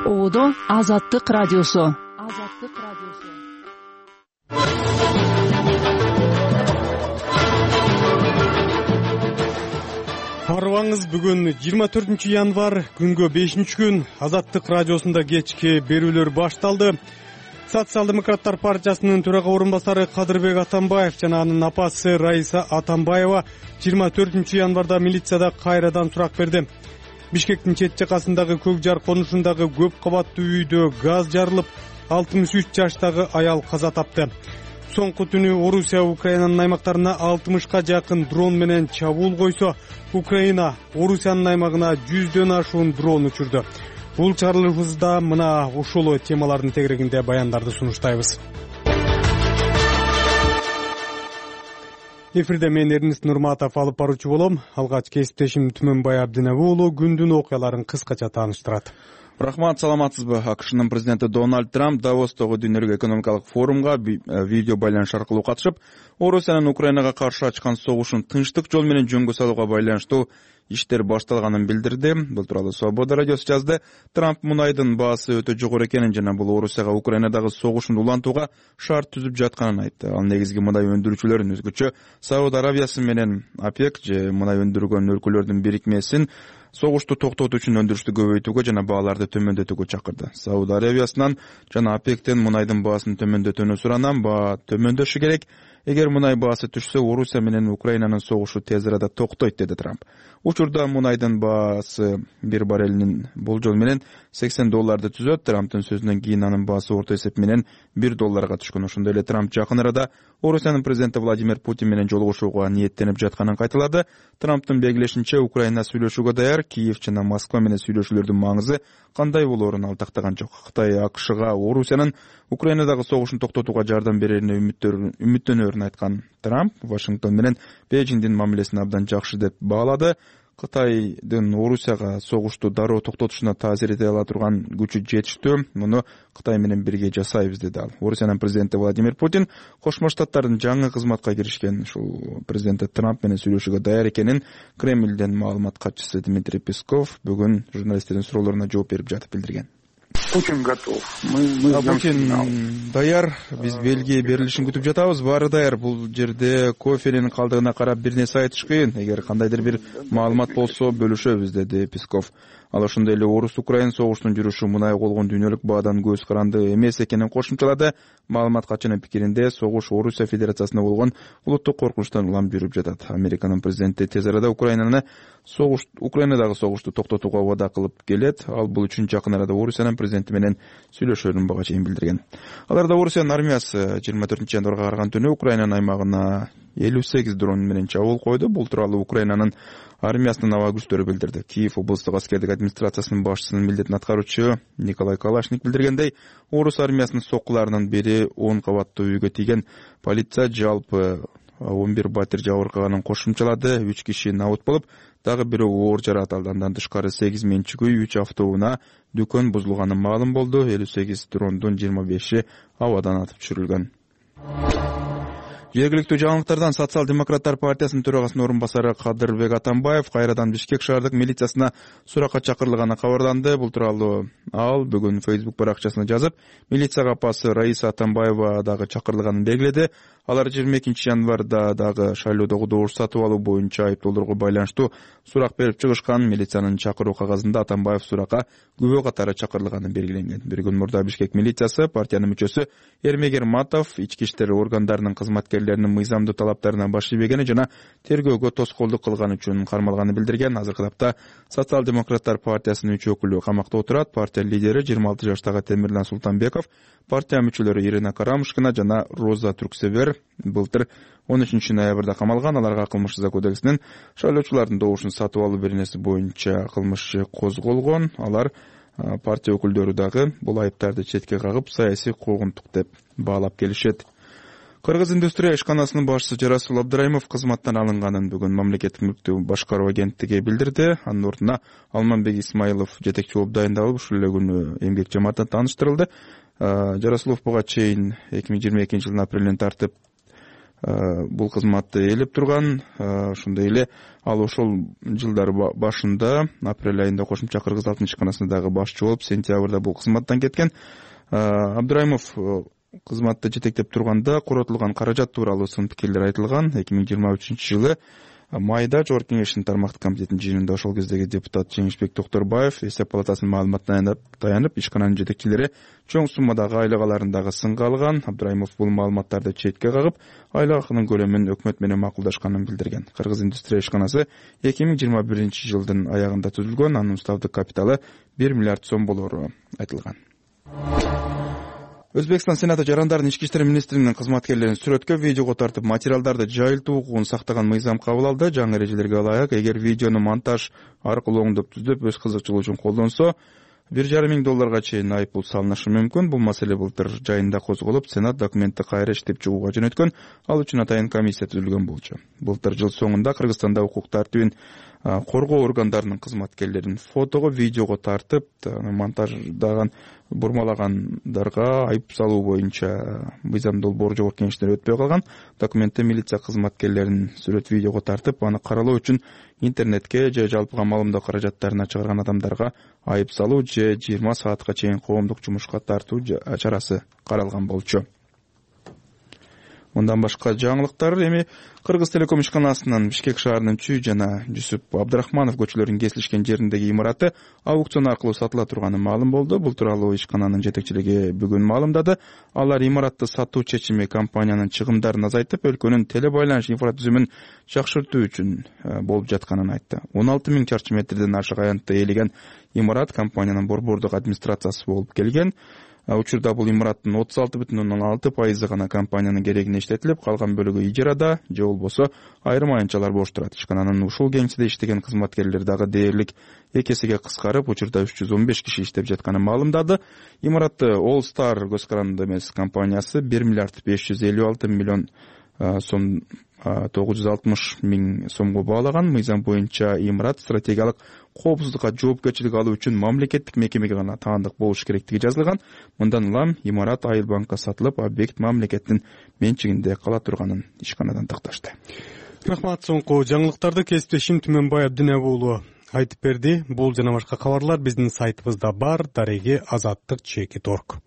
Оодо Азаттык радиосу. Арыбаңыз, бүгүн 24 январь, күнгө 5 күн. Азаттык радиосунда кечки берүүлөр башталды. Социал-демократтар партиясынын төрага орун басары Кадырбек Атамбаев жана анын апасы Раиса Атамбаева 24 январда милицияда кайрадан сурак берди. Бишкектин чет жакасындагы Көк Жар конушундагы көп кабаттуу үйдө газ жарылып, 63 жаштагы аял каза тапты. Соңку түнү Орусия Украинанын аймактарына 60ка жакын дрон менен чабуул койсо, Украина Орусиянын аймагына 100дөн ашуун дрон учурду. Бул чыгарылышыбызда мына ушул темалардын тегерегинде баяндарды сунуштайбыз. Эфирде мен Эрнист Нурматов алып баруучу болом. Алгач кесиптешим Түмөнбай Абдинеби уулу күндүн окуяларын кыскача тааныштырат. Рахмат, саламатсызбы? АКШнын президенти Дональд Трамп Давостогу дүйнөлүк экономикалык форумга видео байланыш аркылуу катышып, Орусиянын Украинага каршы ачкан согушун тынчтык жол менен жөнгө салууга байланыштуу иштер башталганын билдирди. Бул тууралуу Свобода радиосу жазды. Трамп мунайдын баасы өтө жогору экенин жана бул Орусияга Украинадагы согушун улантууга шарт түзүп жатканын айтты. Ал негизги мунай өндүрүүчүлөрүн, өзгөчө Сауд Арабиясы менен ОПЕК же мунай өндүргөн өлкөлөрдүн бирикмесин согушту токтотуу үчүн өндүрүштү көбөйтүүгө жана бааларды төмөндөтүүгө чакырды. Сауд Арабиясынан жана ОПЕКтен мунайдын баасын төмөндөтүүнү суранам. Баа төмөндөшү керек. Эгер мунай баасы түшсө, Орусия менен Украинанын согушу тез арада токтойт, деди Трамп. Учурда мунайдын баасы бир баррелинин болжол менен $80 түзөт. Трамптын сөзүнөн кийин анын баасы орто эсеп менен $1 түшкөн. Ошондой эле Трамп жакын арада Орусиянын президенти Владимир Путин менен жолугушууга ниеттенип жатканын кайталады. Трамптын белгилешинче, Украина сүйлөшүүгө даяр. Киев жана Москва менен сүйлөшүүлөрдүн маңызы кандай болоорун ал тактаган жок. Кытай АКШга Орусиянын Украинадагы согушун токтотууга жардам берерине үмүттөнөрүн айткан Трамп Вашингтон менен Бейжиңдин мамилесин абдан жакшы деп баалады. Кытайдын Орусияга согушту дароо токтотушуна таасир эте ала турган күчү жетиштүү. Муну Кытай менен бирге жасайбыз, деди ал. Орусиянын президенти Владимир Путин Кошмо Штаттардын жаңы кызматка киришкен ушул президенти Трамп менен сүйлөшүүгө даяр экенин Кремлден маалымат катчысы Дмитрий Песков бүгүн журналисттердин суроолоруна жооп берип жатып билдирген. Путин готов. Путин даяр. Биз белги берилишин күтүп жатабыз. Баары даяр. Бул жерде кофенин калдыгына карап бир нерсе айтыш кыйын. Эгер кандайдыр бир маалымат болсо бөлүшөбүз, деди Песков. Ал ошондой эле Орус-Украин согушунун жүрүшү мунай болгон дүйнөлүк баадан көз каранды эмес экенин кошумчалады. Маалымат катчынын пикиринде, согуш Орусия Федерациясына болгон улуттук коркунучтан улам жүрүп жатат. Американын президенти тез арада Украинадагы согушту токтотууга убада кылып келет. Ал бул үчүн жакын арада Орусиянын президенти менен сүйлөшөөрүн бага чейин билдирген. Аларда Орусиянын армиясы 24 январга караган түнү Украинанын аймагына 58 дрон менен чабуул койду. Бул тууралуу Украинанын армиясынын аба күчтөрү билдирди. Киев облустук аскердик администрациясынын башчысынын милдетин аткаруучу Николай Калашник билдиргендей, Орус армиясынын соккуларынын бири 10 кабаттуу үйгө тийген. Полиция жалпы 11 батир жабыркаганын кошумчалады. 3 киши набыт болуп, дагы бирөө оор жаракат алды. Андан тышкары 8 менчик үй, 3 автоунаа, дүкөн бузулганы маалым болду. 58 дрондун 25и абадан атып түшүрүлгөн. Жергиликтүү жаңылыктардан Социал-демократтар партиясынын төрагасынын орун басары Кадырбек Атамбаев кайрадан Бишкек шаардык милициясына суракка чакырылганы кабарланды. Бул тууралуу ал бүгүн Facebook баракчасына жазып, милицияга апасы Раиса Атамбаева дагы чакырылганын белгиледи. Алар 22 январда дагы шайлоодогу добуш сатып алуу боюнча айыптоолорго байланыштуу сурак берип чыгышкан. Милициянын чакыруу кагазында Атамбаев суракка күбө катары чакырылганы белгиленген. Bir күн мурда Бишкек милициясы партиянын мүчөсү Эрмегер Матов ички иштер органдарынын кызматкерлеринин мыйзамдуу талаптарына баш ийбегени жана тергөөгө тоскоолдук кылганы үчүн кармалганы билдирген. Азыркы тапта Социал-демократтар партиясынын 3 өкүлү камакта отурат. Партия лидери 26 жаштагы Темирлан Султанбеков, партия мүчөлөрү Ирина Карамушкина жана Роза Турксевер былтыр 13 ноябрда камалган. Аларга кылмыш жаза кодексинин шайлоочулардын добушун сатып алуу беренеси боюнча кылмыш козголгон. Алар партия өкүлдөрү дагы бул айыптарды четке кагып, саясий куугунтук деп баалап келишет. Кыргыз индустрия ишканасынын башчысы Жарасул Абдыраимов кызматтан алынганын бүгүн мамлекеттик мүлктү башкаруу агенттиги билдирди. Анын ордуна Алманбек Исмаилов жетекчи болуп дайындалып, ушул эле күнү эмгек жамаатына тааныштырылды. Жарасулов буга чейин 2022 жылдын апрелинен тартып бул кызматты ээлеп турган. Ошондой эле ал ошол жылдар башында апрель айында кошумча Кыргыз-Алтын ишканасында дагы башчы болуп, сентябрда бул кызматтан кеткен. Абдырайымов кызматты жетектеп турганда коротулган каражат тууралуу сын пикирлер айтылган. 2023 жылы майда Жогорку Кеңештин тармактык комитетинин жыйынында ошол кездеги депутат Жеңишбек Токторбаев эсеп палатасынын маалыматына таянып ишкананын жетекчилери чоң суммадагы айлык аларындагы сынга алган. Абдырайымов бул маалыматтарды четке кагып, айлык акынын көлөмүн өкмөт менен макулдашканын билдирген. Кыргыз индустрия ишканасы 2021 жылдын аягында түзүлгөн, анын уставдык капиталы 1 миллиард сом болору айтылган. Өзбекстан Сенаты жарандардын ички иштер министринин кызматкерлерин сүрөткө, видеого тартып материалдарды жайылтуу укугун сактаган мыйзам кабыл алды. Жаңы эрежелерге ылайык, эгер видеону монтаж аркылуу оңдоп түзүп, өз кызыкчылыгы үчүн колдонсо, $1,500 чейин айыппул салынышы мүмкүн. Бул маселе былтыр жайында козголуп, Сенат документти кайра иштеп чыгууга жөнөткөн. Ал үчүн атайын комиссия түзүлгөн болчу. Былтыр жыл соңунда Кыргызстанда укук тартибин коргоо органдарынын кызматкерлерин фотого, видеого тартып, монтаждаган бурмалагандарга айып салуу боюнча мыйзам долбоору Жогорку Кеңештен өтпөй калган. Документте милиция кызматкерлерин сүрөт, видеого тартып, аны каралоо үчүн интернетке же жалпыга маалымдоо каражаттарына чыгарган адамдарга айып салуу же 20 саатка чейин коомдук жумушка тартуу чарасы каралган болчу. Мындан башка жаңылыктар эми Кыргыз Телеком ишканасынын Бишкек шаарынын Чүй жана Жусуп Абдрахманов көчөлөрүнүн кесилишкен жериндеги имараты аукцион аркылуу сатыла турганы маалым болду. Бул тууралуу ишкананын жетекчилиги бүгүн маалымдады. Алар имаратты сатуу чечими компаниянын чыгымдарын азайтып, өлкөнүн теле байланыш инфратүзүмүн жакшыртуу үчүн болуп жатканын айтты. 16 000 чарчы метрден ашык аянтта ээлеген имарат компаниянын борбордук администрациясы болуп келген. Учурда бул имараттын 36,6% гана компаниянын керегине иштетилип, калган бөлүгү ижарада же болбосо айрым аянтчалар бош турат. Ишкананын ушул кеңседе иштеген кызматкерлер дагы дээрлик 2 эсеге кыскарып, учурда 315 киши иштеп жатканын маалымдады. Имаратты All Star көз каранды эмес компаниясы 1 миллиард 556 миллион сом 960 000 сомго баалаган. Мыйзам боюнча имарат стратегиялык коопсуздукка жоопкерчилик алуу үчүн мамлекеттик мекемеге гана таандык болуш керектиги жазылган. Мындан улам имарат Айыл банкка сатылып, объект мамлекеттин менчигинде кала турганын ишканадан такташты. Рахмат. Соңку жаңылыктарды кесиптешим Түмөнбай Абдинабы уулу айтып берди. Бул жана башка кабарлар биздин сайтыбызда бар. Дареги azattik.org.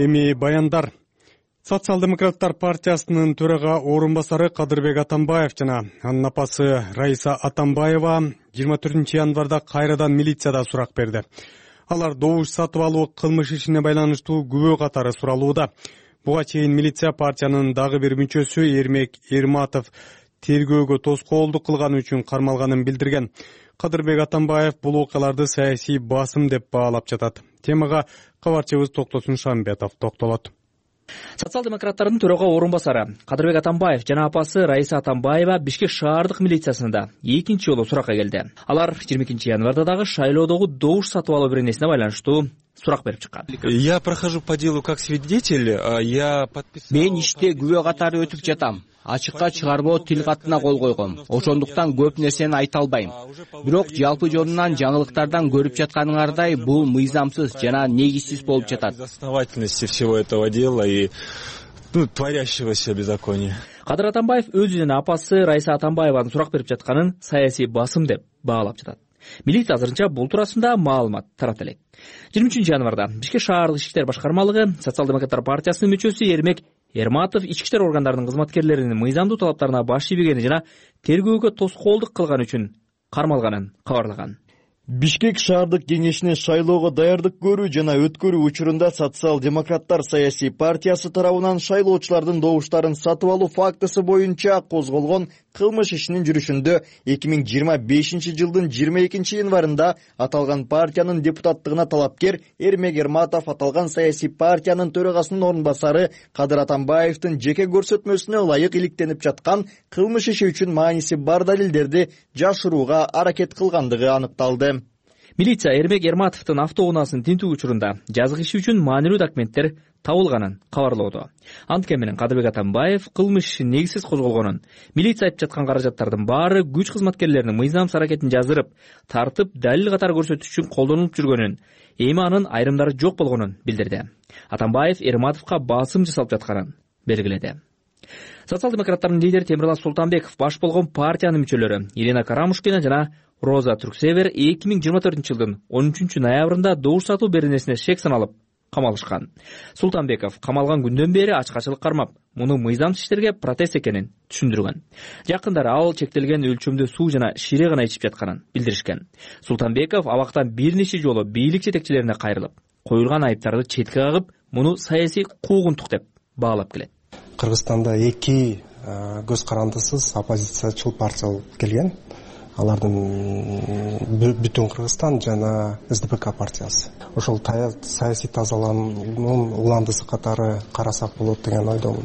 Эми баяндар. Социал-демократтар партиясынын төрага орун-басары Кадырбек Атамбаев жана анын апасы Раиса Атамбаева 24 январда кайрадан милицияда сурак берди. Алар добуш сатып алуу кылмыш ишине байланыштуу күбө катары суралууда. Буга чейин милиция партиянын дагы бир мүчөсү Эрмек Эрматов тергөөгө тоскоолдук кылганы үчүн кармалганын билдирген. Кадырбек Атамбаев бул окуяларды саясий басым деп баалап жатат. Темага кабарчыбыз Токтосун Шамбетов токтолот. Социал-демократтардын төрага орун-басары Кадырбек Атамбаев жана апасы Раиса Атамбаева Бишкек шаардык милициясында экинчи жолу суракка келди. Алар 22 январда дагы шайлоодогу добуш сатып алуу беренесине байланыштуу сурак берип чыккан. Я прохожу по делу как свидетель, я подписал. Мен иште күбө катары өтүп жатам. Ачыкка чыгарбоо тил катына кол койгом. Ошондуктан көп нерсени айта албайм. Бирок жалпы жонунан жаңылыктардан көрүп жатканыңардай бул мыйзамсыз жана негизсиз болуп жатат. Основательности всего этого дела и творящегося беззакония. Кадыр Атамбаев өзүнүн апасы Раиса Атамбаеванын сурак берип жатканын саясий басым деп баалап жатат. Милиция азырынча бул туурасында маалымат таратып элек. 23 январда Бишкек шаардык ички иштер башкармалыгы Социал-демократтар партиясынын мүчөсү Эрмек Эрматов ички иштер органдарынын кызматкерлеринин мыйзамдуу талаптарына баш ийбегени жана тергөөгө тоскоолдук кылган үчүн кармалганын кабарлаган. Бишкек шаардык кеңешине шайлоого даярдык көрүү жана өткөрүү учурунда Социал-демократтар саясий партиясы тарабынан шайлоочулардын добуштарын сатып алуу фактысы боюнча козголгон кылмыш ишинин жүрүшүндө 2025 жылдын 22 январында аталган партиянын депутаттыгына талапкер Эрмек Эрматов аталган саясий партиянын төрагасынын орун-басары Кадыр Атамбаевдин жеке көрсөтмөсүнө ылайык иликтенип жаткан кылмыш иши үчүн мааниси бар далилдерди жашырууга аракет кылгандыгы аныкталды. Милиция Эрмек Эрматовдун автоунаасын тинтүү учурунда жазык иши үчүн маанилүү документтер табылганын кабарлоодо. Анткени менен Кадырбек Атамбаев кылмыш негизсиз козголгонун, милиция айтып жаткан каражаттардын баары күч кызматкерлеринин мыйзамсыз аракетин жаздырып, тартып, далил катары көрсөтүш үчүн колдонулуп жүргөнүн, эми анын айрымдары жок болгонун билдирди. Атамбаев Эрматовго басым жасалып жатканын белгиледи. Социал-демократтардын лидери Темирлан Султанбеков баш болгон партиянын мүчөлөрү Ирина Карамушкина жана Роза Түрксевер 2024-жылдын 13 ноябрында добуш сатуу беренесине шек саналып камалышкан. Султанбеков камалган күндөн бери ачкачылык кармап, муну мыйзамсыз иштерге протест экенин түшүндүргөн. Жакындары ал чектелген өлчөмдө суу жана шире гана ичип жатканын билдиришкен. Султанбеков абактан бир нече жолу бийлик жетекчилерине кайрылып, коюлган айыптарды четке кагып, муну саясий куугунтук деп баалап келет. Кыргызстанда 2 көз карандысыз оппозициячыл партия болуп келген. Алардын Бүтүн Кыргызстан жана СДПК партиясы. Ошол саясий тазалануунун уландысы катары карасак болот деген ойдомун.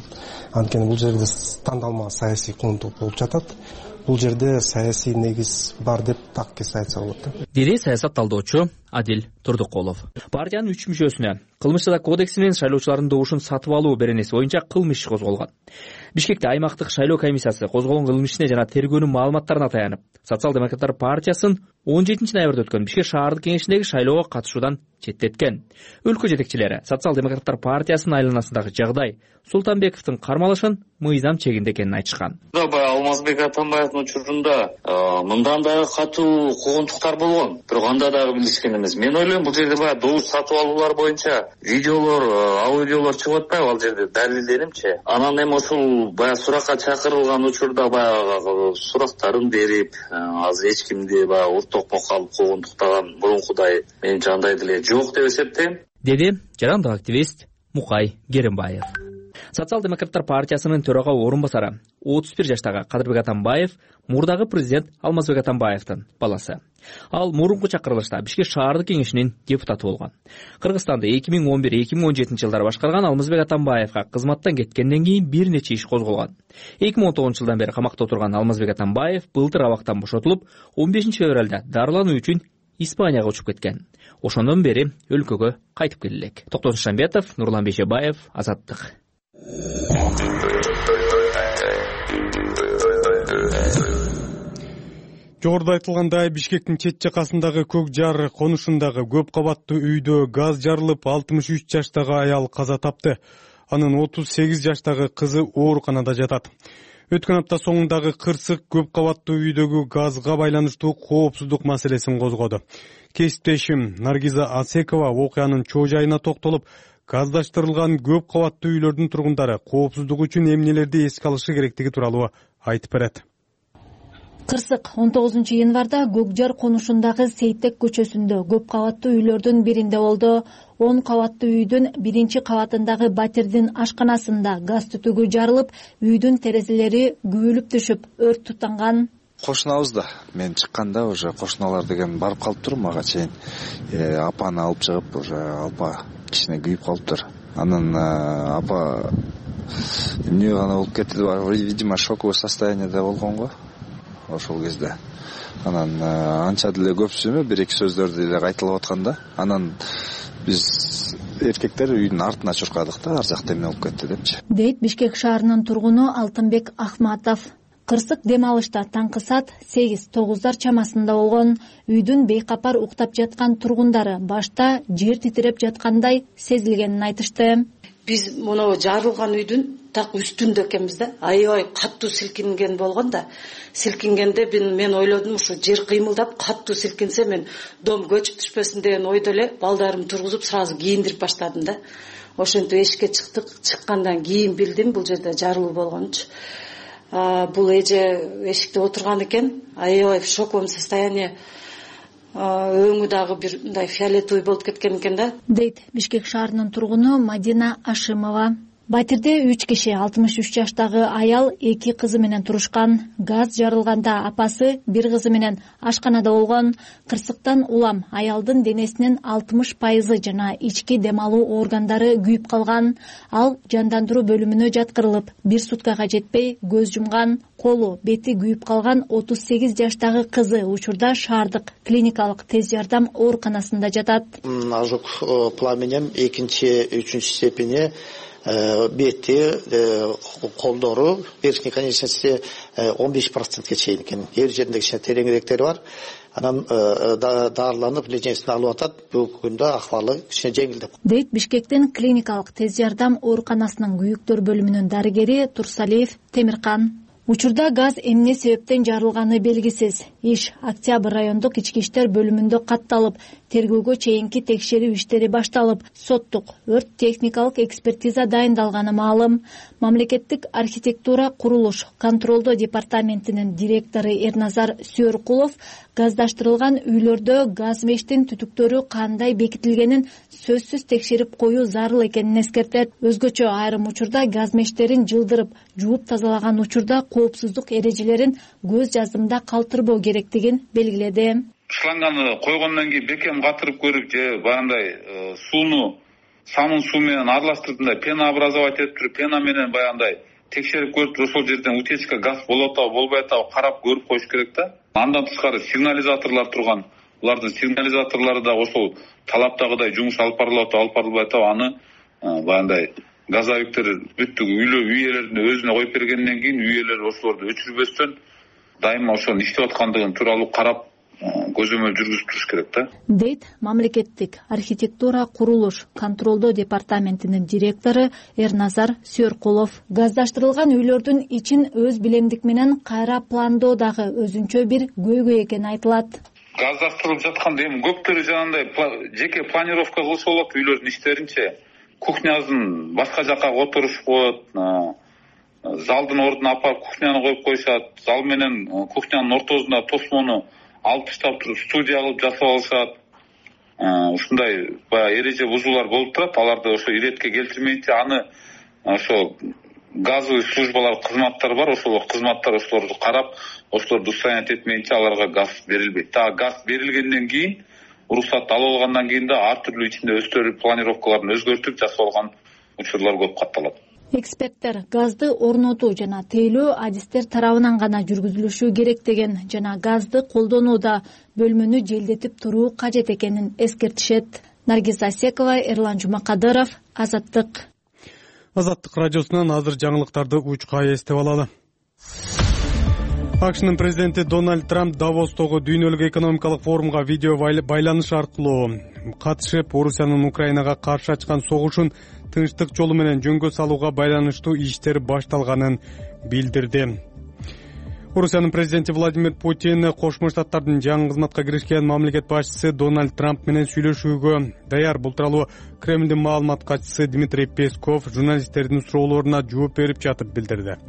Анткени бул жерде тандалма саясий куугунтук болуп жатат. Бул жерде саясий негиз бар деп так кесе айтса болот. Деди саясат талдоочу Адил Турдукулов. Партиянын 3 мүчөсүнө кылмыш жаза кодекси менен шайлоочулардын добушун сатып алуу беренеси боюнча кылмыш иши козголгон. Бишкекте аймактык шайлоо комиссиясы козголгон кылмыш ишине жана тергөөнүн маалыматтарына таянып, Социал-демократтар партиясын 17 ноябрда өткөн Бишкек шаардык кеңешиндеги шайлоого катышуудан четтеткен. Өлкө жетекчилери Социал-демократтар партиясынын айланасындагы жагдай Султанбековдун кармалышын мыйзам чегинде экенин айтышкан. Алмазбек Атамбаевдин учурунда мындан дагы катуу куугунтуктар болгон. Бирок анда дагы билишкен эмес. Мен ойлойм, бул жерде баягы добуш сатып алуулар боюнча видеолор, аудиолор чыгып атпайбы ал жерде далилденимчи. Анан эми ошол баягы суракка чакырылган учурда баягы сурактарын берип, азыр эч кимди баягы уртокмокко алып куугунтуктаган мурункудай менимче андай деле жок деп эсептейм, деди жарандык активист Мукай Керимбаев. Социал-демократтар партиясынын төрага орун басары 31 жаштагы Кадырбек Атамбаев мурдагы президент Алмазбек Атамбаевдин баласы. Ал мурунку чакырылышта Бишкек шаардык кеңешинин депутаты болгон. Кыргызстанды 2011-2017 жылдары башкарган Алмазбек Атамбаевга кызматтан кеткенден кийин бир нече иш козголгон. 2019 жылдан бери камакта отурган Алмазбек Атамбаев былтыр абактан бошотулуп, 15 февралда дарылануу үчүн Испанияга учуп кеткен. Ошондон бери өлкөгө кайтып келе элек. Токтосун Шамбетов, Нурлан Бейшебаев, Азаттык. Жогоруда айтылгандай, Бишкектин чет жакасындагы Көк Жар конушундагы көп кабаттуу үйдө газ жарылып, 63 жаштагы аял каза тапты. Анын 38 жаштагы кызы ооруканада жатат. Өткөн апта соңундагы кырсык көп кабаттуу үйдөгү газга байланыштуу коопсуздук маселесин козгоду. Кесиптешим Наргиза Асекова окуянын чоо жайына токтолуп, газдаштырылган көп кабаттуу үйлөрдүн тургундары коопсуздук үчүн эмнелерди эске алышы керектиги тууралуу айтып берет. Кырсык 19 январда Көкжар конушундагы Сейтек көчөсүндө көп кабаттуу үйлөрдүн биринде болду. 10 кабаттуу үйдүн биринчи кабатындагы батирдин ашканасында газ түтүгү жарылып, үйдүн терезелери күбөлүп түшүп, өрт тутанган. Кошунабыз да. Мен чыкканда уже кошуналар деген барып калыптыр мага чейин. Апаны алып чыгып, уже апа кичине күйүп калыптыр. Анан апа эмне гана болуп кетти деп, видимо, шоковый состояниеде болгон го. Ошол кезде анан анча деле көпсүмө бир-эки сөздөрдү эле кайталап атканда, анан биз эркектер үйдүн артына чуркадык да, ар жакта эмне болуп кетти депчи. Дейт Бишкек шаарынын тургуну Алтынбек Ахматов. Кырсык дем алышта таңкы саат 8-9 чамасында болгон. Үйдүн бейкапар уктап жаткан тургундары башта жер титиреп жаткандай сезилгенин айтышты. Биз муну жарылган үйдүн так үстүндө экенбиз да. Аябай каттуу силкинген болгон да. Силкингенде мен ойлодум, ушу жер кыймылдап каттуу силкинсе мен дом көчүп түшпөсүн деген ойдо эле балдарымды тургузуп сразу кийиндирип баштадым да. Ошентип эшикке чыктык. Чыккандан кийин билдим бул жерде жарылуу болгончу. Бул эже эшикте отурган экен. Аябай в шоковом состоянии. Өңү дагы бир мындай фиолетовый болуп кеткен экен да. Дейт Бишкек шаарынын тургуну Мадина Ашимова. Батирде 3 киши 63 жаштагы аял 2 кызы менен турушкан. Газ жарылганда апасы 1 кызы менен ашканада болгон. Кырсыктан улам аялдын денесинин 60% жана ички дем алуу органдары күйүп калган. Ал жандандыруу бөлүмүнө жаткырылып, 1 суткага жетпей көз жумган. Колу, бети күйүп калган 38 жаштагы кызы учурда шаардык клиникалык тез жардам ооруканасында жатат. Ожог пламенем 2-3 степени бети, колдору верхней конечности 15%ке чейин экен. Жер жеринде кичине тереңирээктери бар. Анан дарыланып лечениесин алып атат. Бүгүнкү күндө акыбалы кичине жеңилдеп. Дейт Бишкектин клиникалык тез жардам ооруканасынын күйүктөр бөлүмүнүн дарыгери Турсалиев Темиркан. Учурда газ эмне себептен жарылганы белгисиз. Иш Октябрь райондук ички иштер бөлүмүндө катталып, тергөөгө чейинки текшерүү иштери башталып, соттук өрт техникалык экспертиза дайындалганы маалым. Мамлекеттик архитектура курулуш контролдоо департаментинин директору Эрназар Сүйөркулов газдаштырылган үйлөрдө газ мештин түтүктөрү кандай бекитилгенин сөзсүз текшерип коюу зарыл экенин эскертет. Өзгөчө айрым учурда газ мешттерин жылдырып, жууп тазалаган учурда коопсуздук эрежелерин көз жаздымда калтырбоо керектигин белгиледи. Шланганы койгондон кийин бекем катырып көрүп же баягындай сууну самын суу менен аралаштырып мындай пена образовать этип туруп, пена менен баягындай текшерип көрүп туруп, ошол жерден утечка газ болуп атабы, болбой атабы карап көрүп коюш керек да. Андан тышкары сигнализаторлор турган. Булардын сигнализаторлору да ошол талаптагыдай жумуш алып барылып атабы, алып барылбай атабы, аны баягындай газовиктер бүттүк үй ээлерине өзүнө коюп бергенден кийин үй ээлери ошолорду өчүрбөстөн дайыма ошонун иштеп аткандыгын тууралуу карап көзөмөл жүргүзүп туруш керек да. Дейт мамлекеттик архитектура курулуш контролдоо департаментинин директору Эрназар Сүйөркулов. Газдаштырылган үйлөрдүн ичин өз билемдик менен кайра пландоо дагы өзүнчө бир көйгөй экени айтылат. Газдаштырылып жатканда эми көптөрү жанагындай жеке планировка кылса болот үйлөрдүн иштеринче. Кухнясын башка жака которушуп коет, залдын ордуна апарып кухняны коюп коюшат, зал менен кухнянын ортосунда тосмону алып таштап туруп студия кылып жасап алышат. Ушундай баягы эреже бузуулар болуп турат. Аларды ошо иретке келтирмейинче аны ошо газовый службалар кызматтар бар, ошол кызматтар ошолорду карап, ошолорду устранять этмейинче аларга газ берилбейт. Газ берилгенден кийин уруксатты алып алгандан кийин да ар түрдүү ичинде өздөрү планировкаларын өзгөртүп жасап алган учурлар көп катталат. Эксперттер газды орнотуу жана тейлөө адистер тарабынан гана жүргүзүлүшү керек деген жана газды колдонууда бөлмөнү желдетип туруу кажет экенин эскертишет. Наргиз Асекова, Эрлан Жумакадыров, Азаттык. Азаттык радиосунан азыр жаңылыктарды учка эстеп алалы. АКШнын президенти Дональд Трамп Давостогу дүйнөлүк экономикалык форумга видео байланыш аркылуу катышып, Орусиянын Украинага каршы ачкан согушун тынчтык жолу менен жөнгө салууга байланыштуу иштер башталганын билдирди. Орусиянын президенти Владимир Путин Кошмо Штаттардын жаңы кызматка киришкен мамлекет башчысы Дональд Трамп менен сүйлөшүүгө даяр. Бул тууралуу Кремлдин маалымат катчысы Дмитрий Песков журналисттердин суроолоруна жооп берип жатып билдирди.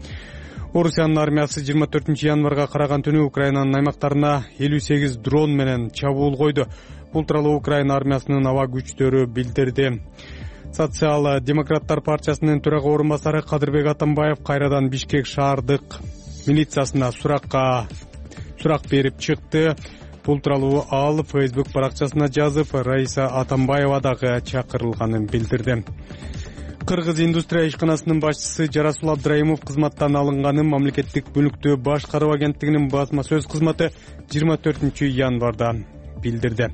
Орусиянын армиясы 24 январга караган түнү Украинанын аймактарына 58 дрон менен чабуул койду. Бул тууралуу Украина армиясынын аба күчтөрү билдирди. Социал-демократтар партиясынын төрага орун басары Кадырбек Атамбаев кайрадан Бишкек шаардык милициясына сурак берип чыкты. Бул тууралуу ал Facebook баракчасына жазып, Раиса Атамбаева дагы чакырылганын билдирди. Кыргыз индустрия ишканасынын башчысы Жарасул Абдраимов кызматтан алынганын мамлекеттик мүлктү башкаруу агенттигинин басма сөз кызматы 24 январда билдирди.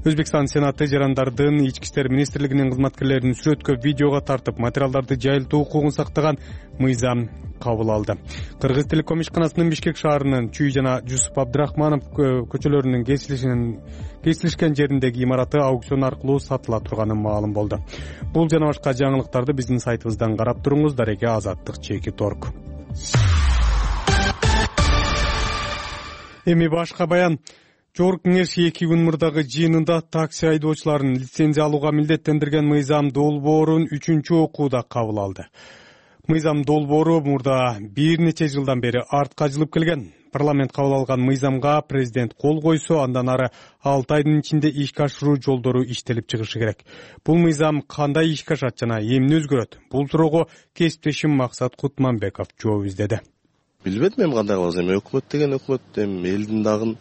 Өзбекстан Сенаты жарандардын ички иштер министрлигинин кызматкерлерин сүрөткө видеого тартып материалдарды жайылтуу укугун сактаган мыйзам кабыл алды. Кыргыз телеком ишканасынын Бишкек шаарынын Чүй жана Жусуп Абдрахманов көчөлөрүнүн кесилишкен жериндеги имараты аукцион аркылуу сатыла турганы маалым болду. Бул жана башка жаңылыктарды биздин сайтыбыздан карап туруңуз. Дареге Азаттык _торг. Эми башка баян. Жогорку кеңеш 2 күн мурдагы жыйынында такси айдоочуларын лицензия алууга милдеттендирген мыйзам долбоорун 3-окууда кабыл алды. Мыйзам долбоору мурда бир нече жылдан бери артка жылып келген. Парламент кабыл алган мыйзамга президент кол койсо, андан ары 6 айдын ичинде ишке ашыруу жолдору иштелип чыгышы керек. Бул мыйзам кандай ишке ашат жана эмне өзгөрөт? Бул суроого кесиптешим Максат Кутманбеков жооп издеди. Билбедим эми кандай кылабыз. Эми өкмөт деген өкмөт, эми элдин дагы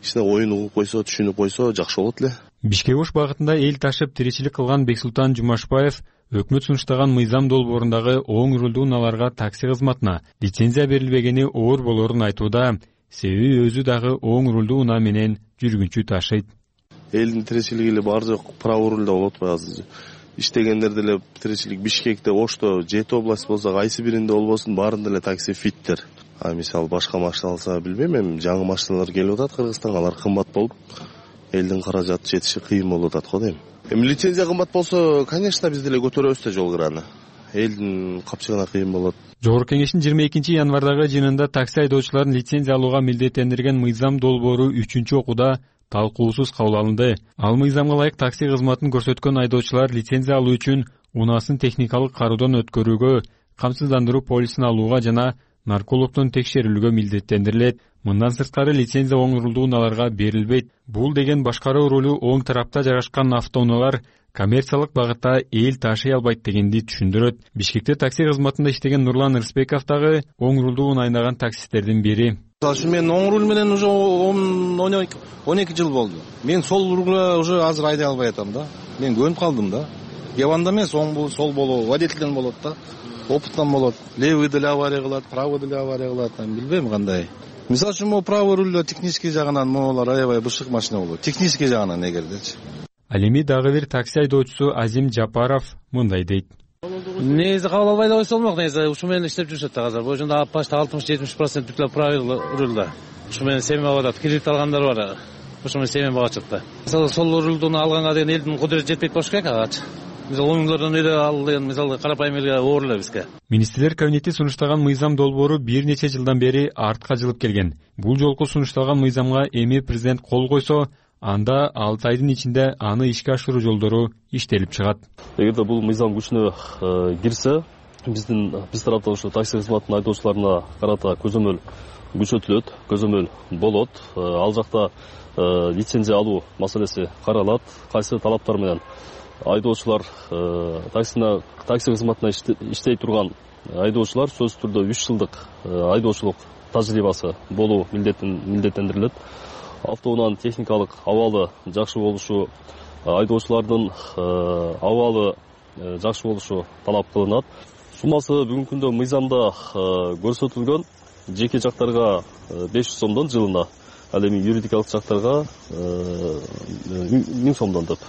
ичине оюн угуп койсо, түшүнүп койсо жакшы болот эле. Бишкек ош багытында эл ташып тиричилик кылган Бексултан Жумашбаев өкмөт сунуштаган мыйзам долбоорундагы оң рулдуу унааларга такси кызматына лицензия берилбегени оор болорун айтууда. Себеби өзү дагы оң рулдуу унаа менен жүргүнчү ташыйт. Элдин тиричилиги эле бар жок право рулда болот атпайбы азыр. Иштегендер деле тиричилик Бишкекте, Ошто, 7 область болсо, кайсы биринде болбосун баарында эле такси фиттер. Мисалы башка машина алса билбейм, эми жаңы машиналар келип атат Кыргызстанга, алар кымбат болуп, элдин каражаты жетиши кыйын болуп атат го дейм. Эми лицензия кымбат болсо, конечно, биз деле көтөрөбүз да жол кыраны. Элдин капчыгына кыйын болот. Жогорку кеңештин 22 январдагы жыйынында такси айдоочуларын лицензия алууга милдеттендирген мыйзам долбоору 3-окууда талкуусуз кабыл алынды. Ал мыйзамга ылайык такси кызматын көрсөткөн айдоочулар лицензия алуу үчүн унаасын техникалык кароодон өткөрүүгө, камсыздандыруу полисин алууга жана наркологдон текшерилүүгө милдеттендирилет. Мындан сырткары лицензия оң рулдуу унааларга берилбейт. Бул деген башкаруу рулу оң тарапта жайгашкан автоунаалар коммерциялык багытта эл ташый албайт дегенди түшүндүрөт. Бишкекте такси кызматында иштеген Нурлан Рысбеков дагы оң рулдуу унаа айнаган таксисттердин бири. Мен оң руль менен уже 12 жыл болду. Мен сол рульга уже азыр айдай албай атам да. Мен көнүп калдым да. Кебанда эмес, оң сол болобу, водительден болот да. Опыттан болот. Левый деле авария кылат, правый деле авария кылат, билбейм кандай. Мисалы үчүн могу правый рульда технический жагынан могулар аябай бышык машина болот. Технический жагынан эгердечи. Ал эми дагы бир такси айдоочусу Азим Жапаров мындай дейт. Негизи кабыл албай да койсо болмок, негизи ушу менен иштеп жүрүшөт да азыр. Божунда почти 60-70% бүтлө правый рульда. Ушу менен семья багат, кредит алгандар бар. Ушу менен семья багат да. Сол рульдуну алганга деген элдин кудурети жетпейт болуш керек агачы. Мисалы оңдордон үйдө ал деген мисалы карапайым элге оор эле бизге. Министрлер кабинети сунуштаган мыйзам долбоору бир нече жылдан бери артка жылып келген. Бул жолку сунушталган мыйзамга эми президент кол койсо, анда 6 айдын ичинде аны ишке ашыруу жолдору иштелип чыгат. Эгерде бул мыйзам күчүнө кирсе, биз тараптан ушу такси кызматынын айдоочуларына карата көзөмөл күчөтүлөт, көзөмөл болот. Ал жакта лицензия алуу маселеси каралат. Кайсы талаптар менен айдоочулар такси кызматына иштей турган айдоочулар сөзсүз түрдө 3 жылдык айдоочулук тажрыйбасы болуу милдеттендирилет. Автоунаанын техникалык абалы жакшы болушу, айдоочулардын абалы жакшы болушу талап кылынат. Суммасы бүгүнкү күндө мыйзамда көрсөтүлгөн, жеке жактарга 500 сомдон жылына, ал эми юридикалык жактарга 1000 сомдон деп.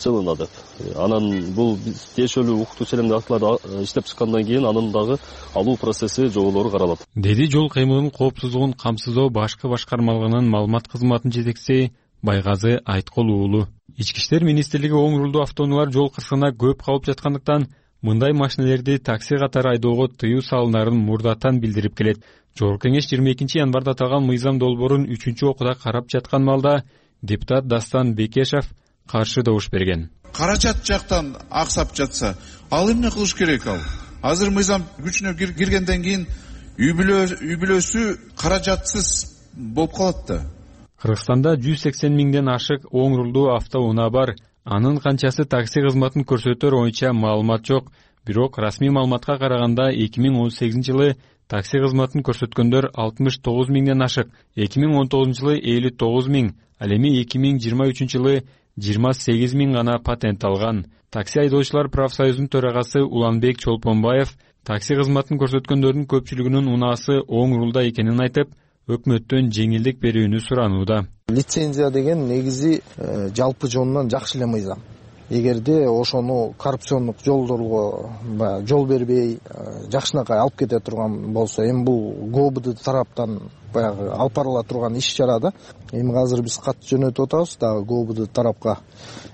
Жылына деп. Анан бул тиешелүү укуктук ченемдүү актыларды иштеп чыккандан кийин анын дагы алуу процесси жоболору каралат. Деди жол кыймылынын коопсуздугун камсыздоо башкы башкармалыгынын маалымат кызматынын жетекчиси Байгазы Айткол уулу. Ички иштер министрлиги оң рулдуу автоунаалар жол кырсыгына көп калып жаткандыктан мындай машинелерди такси катары айдоого тыюу салынарын мурдатан билдирип келет. Жогорку кеңеш 22 январда аталган мыйзам долбоорун 3-окууда карап жаткан малда депутат Дастан Бекешев каршы добуш берген. Каражат жактан аксап жатса, ал эмне кылыш керек ал? Азыр мыйзам күчүнө киргенден кийин үй бүлөсү каражатсыз болуп калат да. Кыргызстанда 180 миңден ашык оң рулдуу автоунаа бар. Анын канчасы такси кызматын көрсөтөр боюнча маалымат жок. Бирок расмий маалыматка караганда 2018 жылы такси кызматын көрсөткөндөр 69 миңден ашык, 2019 жылы 59 миң, ал эми 2023 жылы 28 миң гана патент алган. Такси айдоочулар профсоюзунун төрагасы Уланбек Чолпонбаев такси кызматын көрсөткөндөрдүн көпчүлүгүнүн унаасы оң рулда экенин айтып, өкмөттөн жеңилдик берүүнү суранууда. Лицензия деген негизи жалпы жонунан жакшы эле мыйзам. Эгерде ошону коррупциондук жолдорго жол бербей жакшынакай алып кете турган болсо, эми бул ГОБД тараптан баягы алып барыла турган иш чара да. Эми азыр биз кат жөнөтүп атабыз дагы ГОБД тарапка.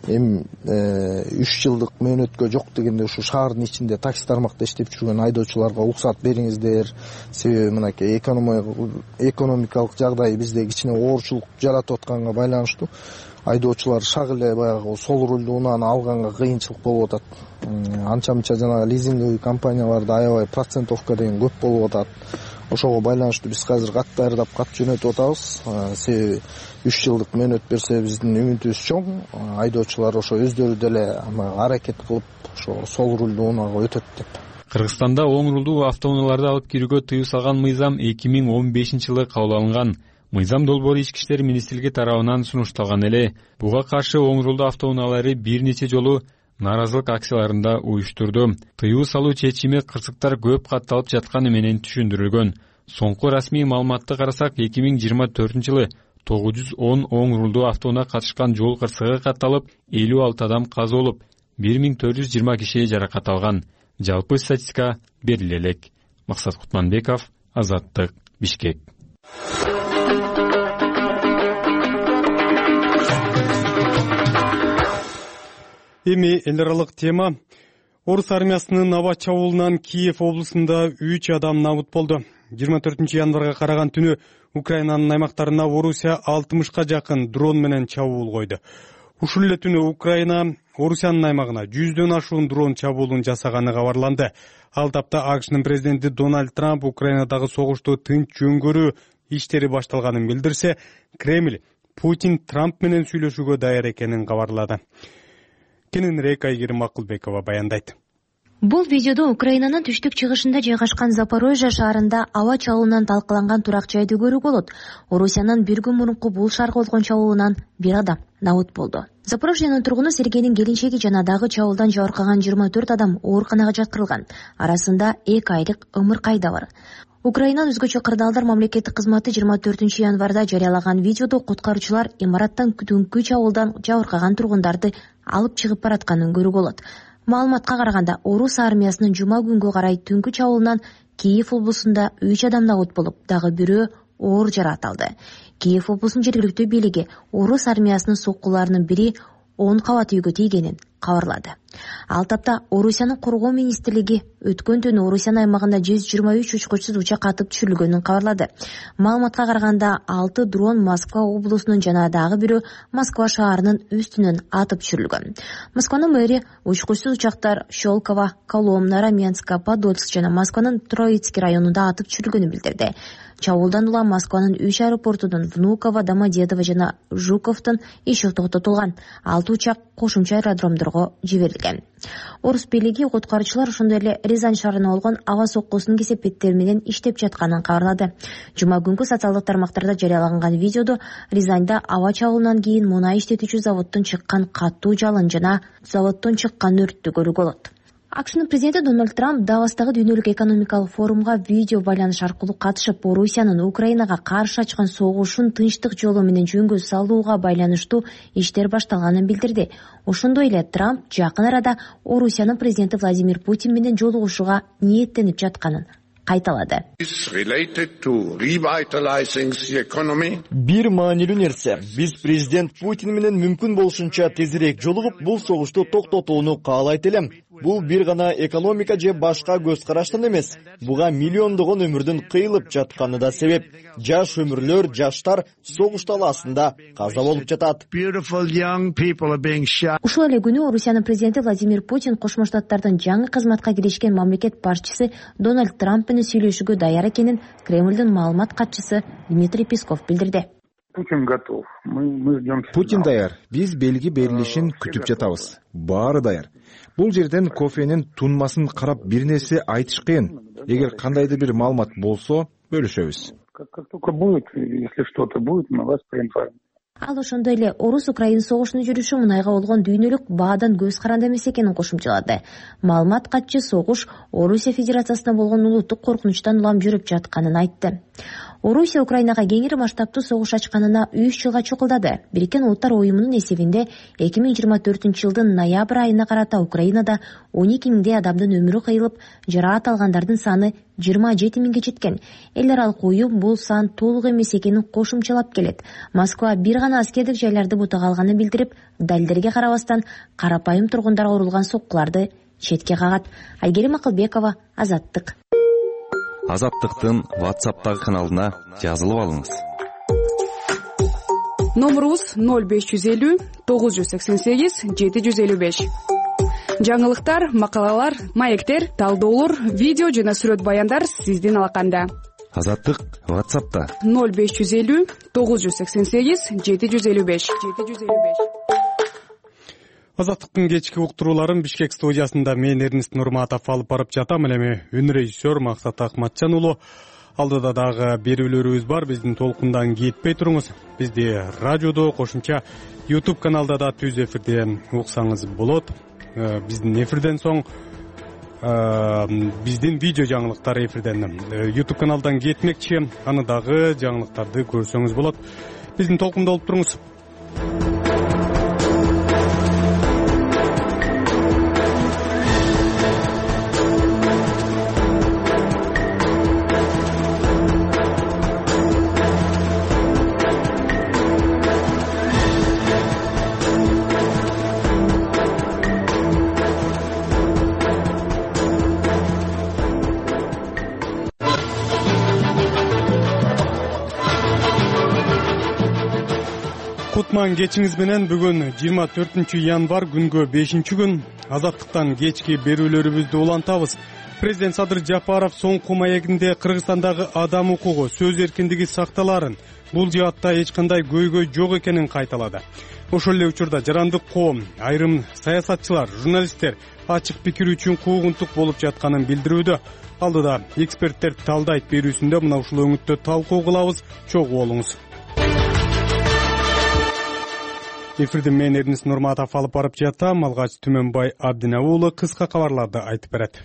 Эми 3 жылдык мөөнөткө жок дегенде ушу шаардын ичинде такси тармакта иштеп жүргөн айдоочуларга уруксат бериңиздер. Себеби мынакей экономикалык жагдай бизде кичине оорчулук жаратып атканга байланыштуу айдоочулар шак эле баягы сол рулдуу унааны алганга кыйынчылык болуп атат. Анча-мынча жана лизинговый компанияларда аябай процентовка деген көп болуп атат. ошого байланыштуу биз азыр кат даярдап кат жөнөтүп атабыз. Себеби 3 жылдык мөөнөт берсе биздин үмүтүбүз чоң. Айдоочулар ошо өздөрү деле аракет кылып ошо сол рулду унаага өтөт деп. Кыргызстанда оң рулдуу автоунааларды алып кирүүгө тыюу салган мыйзам 2015-жылы кабыл алынган. Мыйзам долбоору Ички иштер министрлиги тарабынан сунушталган эле. Буга каршы оң рулдуу автоунаалары бир нече жолу нааразылык акцияларында уюштурду. Тыюу салуу чечими кырсыктар көп катталып жатканы менен түшүндүрүлгөн. Соңку расмий маалыматты карасак, 2024-жылы 910 оң рулдуу автоунаа катышкан жол кырсыгы катталып, 56 адам каза болуп, 1420 киши жаракат алган. Жалпы статистика бериле элек. Максат Кутманбеков, Азаттык, Бишкек. Эми эл аралык тема. Орус армиясынын аба чабуулунан Киев облусунда 3 адам набыт болду. 24-январга караган түнү Украинанын аймактарына Орусия 60га жакын дрон менен чабуул койду. Ушул эле түнү Украина Орусиянын аймагына 100дөн ашуун дрон чабуулун жасаганы кабарланды. Ал тапта АКШнын президенти Дональд Трамп Украинадагы согушту тынч жөнгөрүү иштери башталганын билдирсе, Кремль Путин Трамп менен сүйлөшүүгө даяр экенин кабарлады. Кененирээк Айгерим Акылбекова баяндайт. Бул видеодо Украинанын түштүк-чыгышында жайгашкан Запорожье шаарында аба чабуулунан талкаланган турак жайды көрүүгө болот. Орусиянын бир күн мурунку бул шаарга болгон чабуулунан бир адам набыт болду. Запорожьенин тургуну Сергейдин келинчеги жана дагы чабуулдан жабыркаган 24 адам ооруканага жаткырылган. Арасында 2 айлык ымыркай да бар. Украинанын өзгөчө кырдаалдар мамлекеттик кызматы 24-январда жарыялаган видеодо куткаруучулар имараттан түнкү чабуулдан жабыркаган тургундарды алып чыгып баратканын көрүүгө болот. Маалыматка караганда, Орус армиясынын жума күнгө карай түнкү чабуулунан Киев облусунда 3 адам набыт болуп, дагы бирөө оор жаракат алды. Киев облусунун жергиликтүү бийлиги Орус армиясынын соккуларынын бири 10 кабат үйгө тийгенин кабарлады. Ал тапта Орусиянын коргоо министрлиги өткөн түнү Орусиянын аймагында 123 учкучсуз учак атып түшүрүлгөнүн кабарлады. Маалыматка караганда 6 дрон Москва облусунун жана дагы бирөө Москва шаарынын үстүнөн атып түшүрүлгөн. Москванын мэри учкучсуз учактар Щелково, Коломна, Раменска, Подольск жана Москванын Троицкий районунда атып түшүрүлгөнүн билдирди. Чабуулдан улам Москванын 3 аэропортунун Внуково, Домодедово жана Жуковдун иши токтотулган. 6 учак кошумча аэродромдорго жиберилген. Орус бийлиги куткаруучулар ошондой эле Рязань шаарына болгон аба соккусунун кесепеттери менен иштеп жатканын кабарлады. Жума күнкү социалдык тармактарда жарыялаган видеодо Рязанда аба чабуулунан кийин мунай иштетүүчү заводдон чыккан катуу жалын жана заводдон чыккан өрттү көрүүгө болот. АКШнын президенти Дональд Трамп Давостагы дүйнөлүк экономикалык форумга видео байланыш аркылуу катышып, Орусиянын Украинага каршы ачкан согушун тынчтык жолу менен жөнгө салууга байланыштуу иштер башталганын билдирди. Ошондой эле Трамп жакын арада Орусиянын президенти Владимир Путин менен жолугушууга ниеттенип жатканын кайталады. Бир маанилүү нерсе, биз президент Путин менен мүмкүн болушунча тезирээк жолугуп, бул согушту токтотууну каалайт элем. Бул бир гана экономика же башка көз караштан эмес. Буга миллиондогон өмүрдүн кыйылып жатканы да себеп. Жаш өмүрлөр, жаштар согуш талаасында каза болуп жатат. Ушул эле күнү Орусиянын президенти Владимир Путин Кошмо Штаттардын жаңы кызматка киришкен мамлекет башчысы Дональд Трамп менен сүйлөшүүгө даяр экенин Кремлдин маалымат катчысы Дмитрий Песков билдирди. Путин готов. Мы ждем. Путин даяр. Биз белги берилишин күтүп жатабыз. Баары даяр. Бул жерден кофенин тунмасын карап бир нерсе айтыш кыйын. Эгер кандайдыр бир маалымат болсо, бөлүшөбүз. Как только будет, если что-то будет, мы вас проинформируем. Ал ошондой эле Орус-Украин согушунун жүрүшү мунайга болгон дүйнөлүк баадан көз каранды эмес экенин кошумчалады. Маалымат катчы согуш Орусия Федерациясына болгон улуттук коркунучтан улам жүрүп жатканын айтты. Орусия Украинага кеңири масштабтуу согуш ачканына 3 жылга чукулдады. Бириккен Улуттар уюмунун эсебинде 2024-жылдын ноябрь айына карата Украинада 12 миңдей адамдын өмүрү кыйылып, жараат алгандардын саны 27 миңге жеткен. Эл аралык уюм бул сан толук эмес экенин кошумчалап келет. Москва бир гана аскердик жайларды бутага алганын билдирип, далилдерге карабастан карапайым тургундарга урулган соккуларды четке кагат. Айгерим Акылбекова, Азаттык. Азаттыктын WhatsApp'тагы каналына жазылып алыңыз. Номерубуз 0550 988 755. Жаңылыктар, макалалар, маектер, талдоолор, видео жана сүрөт баяндар сиздин алаканда. Азаттык WhatsApp'та 0550 988 755. Азаттыктын кечки уктурууларын Бишкек студиясында мен Эрнест Нурматов алып барып жатам. Эми үн режиссер Максат Акматжан уулу. Алдыда дагы берүүлөрүбүз бар. Биздин толкундан кетпей туруңуз. Бизди радиодо, кошумча YouTube каналда да түз эфирде уксаңыз болот. Биздин эфирден соң биздин видео жаңылыктар эфирден YouTube каналдан кетмекчи. Аны дагы жаңылыктарды көрсөңүз болот. Биздин толкунда болуп туруңуз. Кутман кечиңиз менен бүгүн 24 январь күнгө 5-күн Азаттыктан кечки берүүлөрүбүздү улантабыз. Президент Садыр Жапаров соңку маегинде Кыргызстандагы адам укугу, сөз эркиндиги сакталарын, бул жаатта эч кандай көйгөй жок экенин кайталады. Ошол эле учурда жарандык коом, айрым саясатчылар, журналисттер ачык пикир үчүн куугунтук болуп жатканын билдирүүдө. Алдыда эксперттер талдайт берүүсүндө мына ушул өңүттө талкуу кылабыз. Чогуу болуңуз. Эфирде мен Эрнест Нурматов алып барып жатам. Алгач Түмөнбай Абдина уулу кыска кабарларды айтып берет.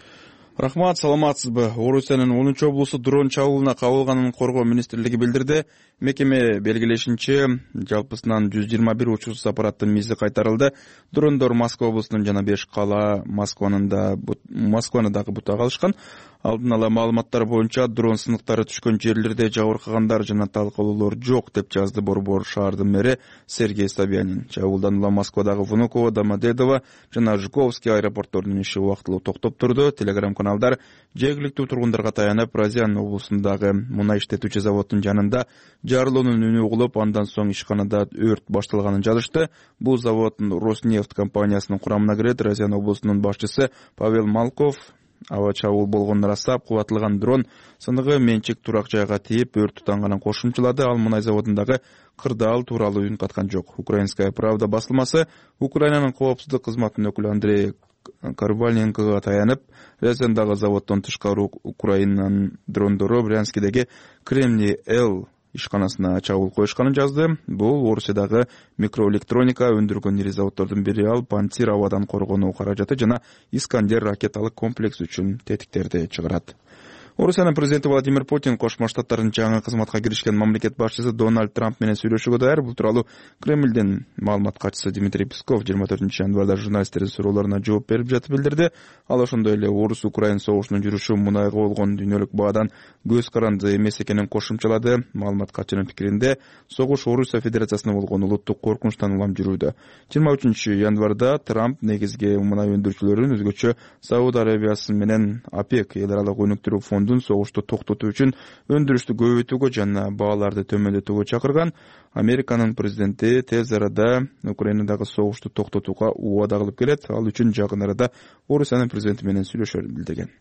Рахмат, саламатсызбы? Орусиянын 10 облусу дрон чабуулуна кабылганын коргоо министрлиги билдирди. Мекеме белгилешинче, жалпысынан 121 учурсуз аппараттын мизи кайтарылды. Дрондор Москва облусунун жана 5 кала Москваны дагы бутага алышкан. Алдын ала маалыматтар боюнча дрон сыныктары түшкөн жерлерде жабыркагандар жана талкалоолор жок деп жазды Борбор шаардын мэри Сергей Собянин. Чабуулдан улам Москвадагы Внуково, Домодедово жана Жуковский аэропортторунун иши убактылуу токтоп турду. Телеграм-каналдар жергиликтүү тургундарга таянып, Разиян облусундагы мунай иштетүүчү заводдун жанында жарылуунун үнү угулуп, андан соң ишканада өрт башталганын жазышты. Бул завод Роснефть компаниясынын курамына кирет. Разиян облусунун башчысы Павел Малков аба чабуул болгонун ырастап, кубатылган дрон сыныгы менчик турак жайга тийип, өрт тутанганын кошумчалады. Ал мунай заводундагы кырдаал тууралуу үн каткан жок. Украинская правда басылмасы Украинанын коопсуздук кызматынын өкүлү Андрей Карвальненкоға таянып, Разияндагы заводдон тышкары Украинанын дрондору Брянскидеги Кремний-Л ишканасына чабуул коюшканын жазды. Бул Орусиядагы микроэлектроника өндүргөн ири заводдордун бири. Ал Пантир абадан коргонуу каражаты жана Искандер ракеталык комплекс үчүн тетиктерди чыгарат. Орусиянын президенти Владимир Путин Кошмо Штаттардын жаңы кызматка киришкен мамлекет башчысы Дональд Трамп менен сүйлөшүүгө даяр. Бул тууралуу Кремлдин маалымат катчысы Дмитрий Песков 24 январда журналисттердин суроолоруна жооп берип жатып билдирди. Ал ошондой эле Орус-Украин согушунун жүрүшү мунайга болгон дүйнөлүк баадан көз каранды эмес экенин кошумчалады. Маалымат катчынын пикиринде, согуш Орусия Федерациясына болгон улуттук коркунучтан улам жүрүүдө. 23 январда Трамп негизги мунай өндүрүүчүлөрүн, өзгөчө Сауд Арабиясы менен ОПЕК эл аралык өнүктүрүү фондун согушту токтотуу үчүн өндүрүштү көбөйтүүгө жана бааларды төмөндөтүүгө чакырган. Американын президенти тез арада Украинадагы согушту токтотууга убада кылып келет. Ал үчүн жакын арада Орусиянын президенти менен сүйлөшөрүн билдирген.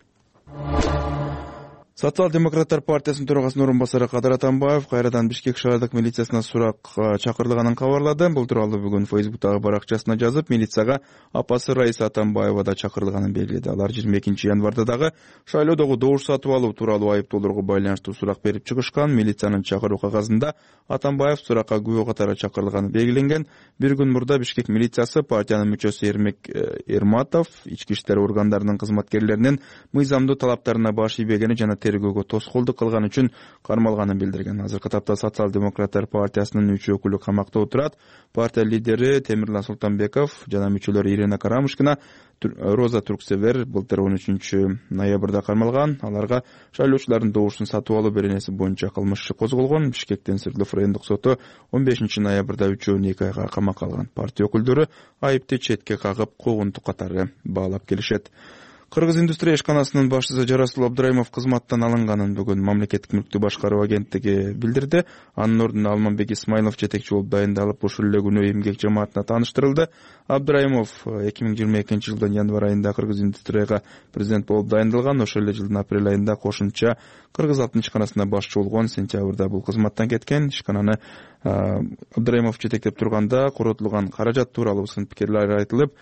Социал-демократтар партиясынын төрагасынын орун басары Кадыр Атамбаев кайрадан Бишкек шаардык милициясына суракка чакырылганын кабарлады. Бул тууралуу бүгүн Фейсбуктагы баракчасына жазып, милицияга апасы Раиса Атамбаева да чакырылганын белгиледи. Алар 22 январда дагы шайлоодогу добуш сатып алуу тууралуу айыптоолорго байланыштуу сурак берип чыгышкан. Милициянын чакыруу кагазында Атамбаев суракка күбө катары чакырылганы белгиленген. Bir күн мурда Бишкек милициясы партиянын мүчөсү Эрмек Эрматов ички иштер органдарынын кызматкерлеринин мыйзамдуу талаптарына баш ийбегени жана тергөөгө тоскоолдук кылган үчүн кармалганын билдирген. Азыркы тапта Социал-демократтар партиясынын 3 өкүлү камакта отурат. Партия лидери Темирлан Султанбеков жана мүчөлөрү Ирина Карамушкина, Роза Турксевер былтыр 13 ноябрда кармалган. Аларга шайлоочулардын добушун сатып алуу беренеси боюнча кылмыш иши козголгон. Бишкектин Свердлов райондук соту 15 ноябрда 3-2 айга камакка алган. Партия өкүлдөрү айыпты четке кагып, куугунтук катары баалап келишет. Кыргыз индустрия ишканасынын башчысы Жарасул Абдрайымов кызматтан алынганын бүгүн мамлекеттик мүлктү башкаруу агенттиги билдирди. Анын ордуна Алмамбек Исмайлов жетекчи болуп дайындалып, ушул эле күнү эмгек жамаатына тааныштырылды. Абдрайымов 2022 жылдын январь айында Кыргыз индустрияга президент болуп дайындалган. Ошол эле жылдын апрель айында кошумча Кыргыз алтын ишканасына башчы болгон. Сентябрда бул кызматтан кеткен. Ишкананы Абдрайымов жетектеп турганда коротулган каражат тууралуу сын пикирлер айтылып,